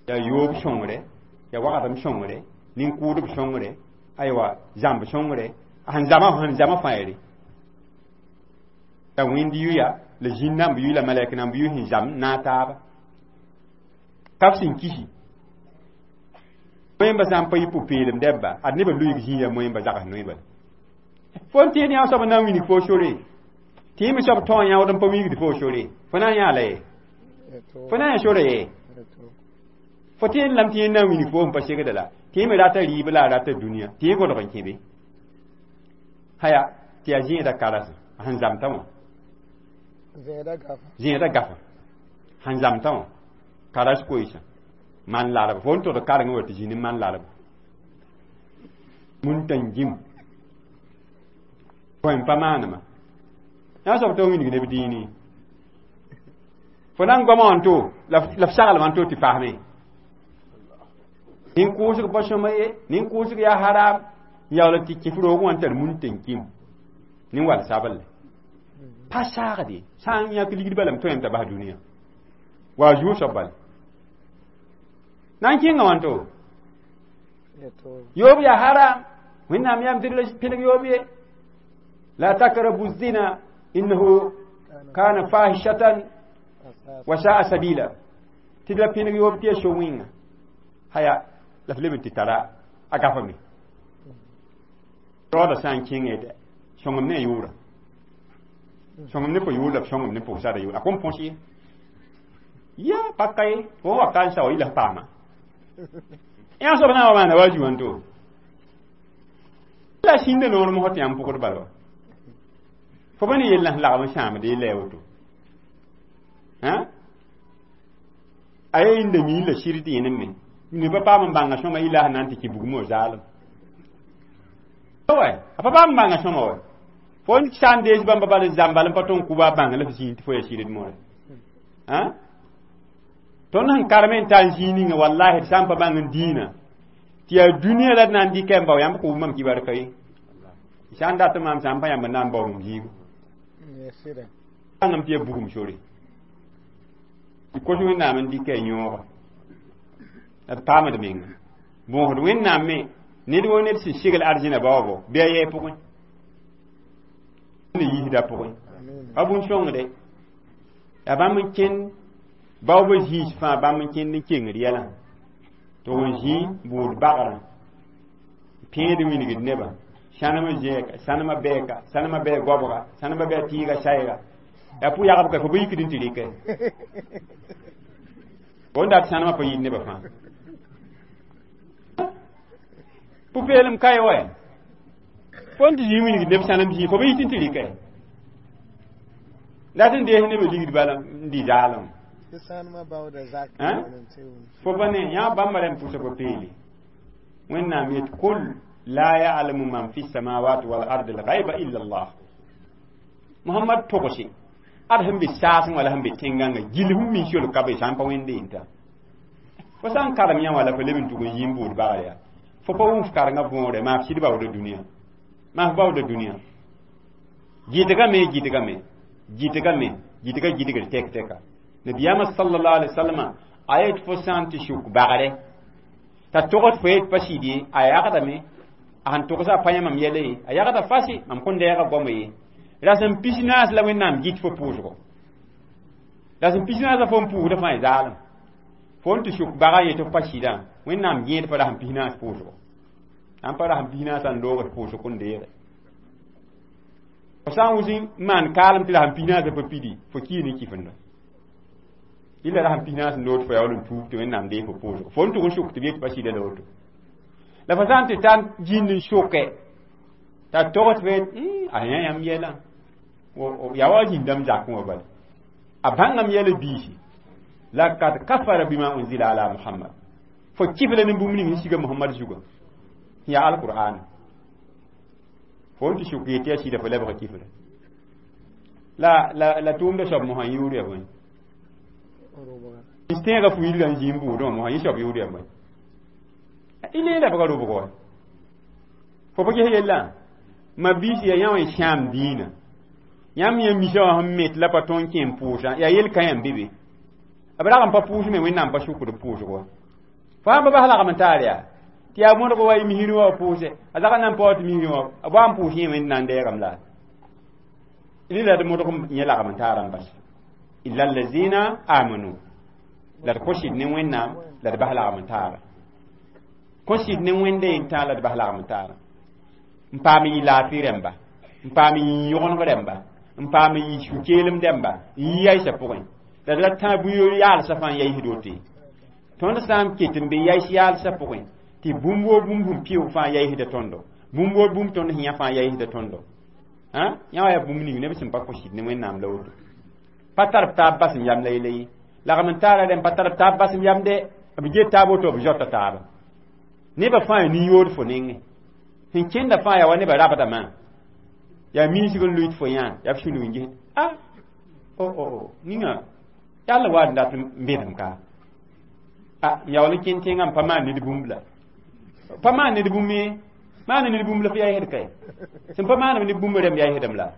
Yaa yoob sõngre, yaa wagdem sõngre, nin-kʋʋdb sõngre, aywa zãmb sõngre, sẽn zãma fãa yere. Yaa wẽnd yʋya la zĩn namb yʋ la malɛk namb yʋ sẽn zam naag taaba. Ka b sẽn kisi. Moẽmba sã n pa yɩ pʋ-peelem dɛbba, ad nebã lʋɩg zĩig yaa moẽmba zags noe bala. Fo n tẽed yã soab n na n wilg fo sore. Tɩ me soab tõog yãood n pa wilgd fo sore. Fo na n yãa la ye? Fo na n yã sora ye? Fo tẽed lame tɩ yẽ na n wilg fo n pa segda la. Tɩ me rata rɩɩb la a rata dũniyã. Tɩ yẽ gõdg n kẽ be. Haya, tɩ yaa zẽeda karasã sẽn zamtã wã. Zẽeda gafa. Sẽn zamtã wã. Karas koeesã. Man larb. Fo n tʋd karengẽ wa tɩ zĩ ne man larb. Mun-tãn-gim. Bõe n pa maanema. Yã soab tɩ wilg neb dĩini. Fo na n goamã wã n to la f saglmã n to tɩ fasme. Nin-kʋʋsg pa sõma ye, nin-kʋʋsg yaa haram, yaool tɩ kɩf roog wã n tar mun tɩ n kĩm nin-wal sabl pa saagde sã n yãk ligd bala m tõe t'a bas dũniyã wa a zuo soab bala na n kẽnga wãnto yoob yaa haram, Wẽnnaam yam tɩ d la pẽneg yoob ye, la takrabu zina innahu kana fahishatan wa sa'a sabila, tɩ d la pẽneg yoob tɩ ya so-wẽnga haya la f leb n tɩ tara a gafame raooda sã n kẽngẽ sõngem ne a yʋʋra, sõngem ne pa yʋʋr la b sõngem ne pʋgsara yʋʋr a kõn põs ye, ya pa ka ye fo wa ka n sao yɩ la f paama yã soab na n wa maana wa zu wãnto la sĩnda noor mosã tɩ yãmb pʋgd bala wa fo pa ne yell sẽn lagm n sãamd ye la woto a ye yĩnda mi la sɩd tɩ yẽnem me ne pa paam n bãnga sõma yɩ la sẽn na n tɩ kɩ bugmã zaalem wa a pa paam n bãnga sõma wa fo n sã n dees bãmba bal n zãmbal n pa tõn kʋba a bãng la f zĩig tɩ fo ya sɩd moore. Tõnd sẽn karem n ta n zĩig ninga, wallahi, d sã n pa bãng n dĩinã tɩ yaa dũniyã la d na n dɩka n bao yãmb kʋʋb mam kibar ka ye sã n dat maam sã n pa yãmb n na n bao mam zĩigu bãngame tɩ yaa bugum sore tɩ kos Wẽnnaam n dɩka a yõoga la d paamd menga bõosd Wẽnnaam me ned wo ned sẽn segl arzẽna baoobo bɩ a yɛɛ pʋgẽ ne yiisda pʋgẽ pa bũn-sõngde yaa bãmb n kẽnd baoobã zĩis fãa, bãmb n kẽnd n kengd yɛlã tɩ n zĩ buud bagrã pẽed wilgd nebã sãnemã zẽeka, sãnemã bɛɛka, sãnemã bɛɛ goabga, sãnemã bɛɛ tɩɩga sayga yaa pʋ yagb ka fo pa yikd n tɩ rɩkɛ fo n dat sãnemã pa yit nebã fãa pʋ-peelem ka ye wa fo n tɩ zĩ wilgd neb sãnem zĩ fo pa yit n tɩ rɩkɛ dat n dees nebã ligd bala n dɩ zaalem fo pa ne yã bãmba rẽm pʋsa pa peele. Wẽnnaam yet kul la ya'lamu man fi samawati wal ardi al ghaiba illa Allah. Muhammad togse ad sẽn be saasẽ wala sẽn be tẽngãngã gill sẽn min sol ka be sã n pa wẽnde yẽnta fo sã n karem yã wala fo leb n tʋg n yĩm buud bagr yaa fo pa wʋm f karengã võore maa f sɩd baooda dũniyã, maa f baooda dũniyã gɩdgame, gɩdgame, gɩdgame, gɩdga gɩdgr tɛk tɛka. Nabiyaamã sallallahu alaihi wasallam a yet fo sã n tɩ suk bagre t'a togd fo yet pa sɩd ye a yagdame a sẽn togsa a pa yã mam yɛla ye a yagda fasi mam kõn dɛɛga goama ye rasem 44 la Wẽnnaam gɩt fo pʋʋsgo rasem 44 la fo n pʋʋsda fãa zaalem fo n tɩ suk baga yetɩ f pa sɩdã Wẽnnaam gẽed pa rasem 44 pʋʋsgo ãn pa rasem 44 n loogd pʋʋsg kõn deege fo sã n wʋs n maan kaalem tɩ rasem 44 pa pidi fo kii ne kifenda illa rasem 44 n lood fo yaool n tuub tɩ Wẽnnaam deeg fo pʋʋsgo fo n tʋg n suk tɩ b yet pa sɩda la woto la fo sã n tɩ tar zĩnd n soke t'a togd fo a yã yãmb yɛlã yaa wa zĩndame zakẽ wã bala a bãngame yɛla biisi lakad kafara bima unzila ala Muhammad fo kɩf la ne bũmb ning sẽn siga Muhammad zugã yaa alqur'ana fo n tɩ suk yetɩ yaa sɩda fo lebga kifra la la la tʋʋmda soab mosã yʋʋr yaa bõe tẽegã fu yilga n zĩ n buudẽ wã mosã yẽ soab yʋʋr yaa bõe y lee lebga rʋbg wa fo pa ges yellã ma biisi yaa yã wã n sãam dĩinã yãmb yã misa wã sẽn met la pa tõe n kẽ n pʋʋsã yaa yel ka yãmb be be b rag n pa pʋʋs me Wẽnnaam pa sukd b pʋʋsg wa fo sãn pa bas lagm n taar yaa tɩ yaa mõdg wa y misrẽ wã pʋʋsɛ a zag n na n paoog tɩ misrẽ wã b wa n pʋʋs yẽ Wẽnd na n dɛɛgame la rɩla d modg yẽ lagm n taara n bas illa allazina amanu la d kõ sɩd ne Wẽnnaam la d bas lagm n taara kõ sɩd ne Wẽnde n tã la d bas lagm n taara n paam yɩ laafɩ rẽmba n paam yĩ yõgeneg rẽmba n paam yɩ su-keelem dẽmba n yi yaɩsã pʋgẽ la d ra tã bʋ yaalsã fãa n yaɩsd woto tõnd sã n ket n be yaɩs yaalsã pʋgẽ tɩ bũmb woo bũmb sẽn pɩʋg fãa yaɩsda tõndo bũmb woo bũmb tõnd sẽn yã fãa yaɩsda tõndo yã wa yaa bũmb ning neb sẽn pa kõ sɩd ne Wẽnnaam la woto pa tar b taab bas n yam la yella ye lagm n taara rẽm pa tar b taab bas n yamde b get taab woto b zoata taaba nebã fãa yaa nin-yood fo nengẽ sẽn kẽnda fãa yaa wa nebã rabdamã yaa miisg n lʋɩt fo yã yaa f sũnug n ges a o o ninga yalla wa n dat n bedem ka A yaool n kẽnd tẽngã n pa maan ned bũmb la pa maan ned bũmb ye, maan ned bũmb la f yaa yɛsd kae sẽn pa maanam ned bũmb rẽmb yaa yɛsdame la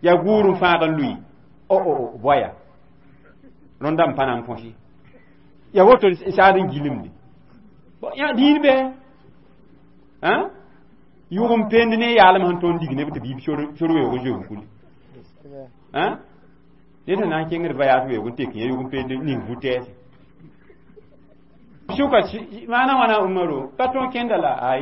yaa guur n fãag n lʋɩ o o boaya rõndã n pa na n põsi yaa woto saad n gilemde yã dĩin bɩ yʋg n pend ne yaalem sẽn tõnd dig neb tɩ biib sor weoog n zoe kuli. Ned sẽn na n kẽngd voyage weoog n tek yã yʋg n pend ning vu-tɛɛse sʋka maana wãna Umaro pa tõog kẽnda la ay.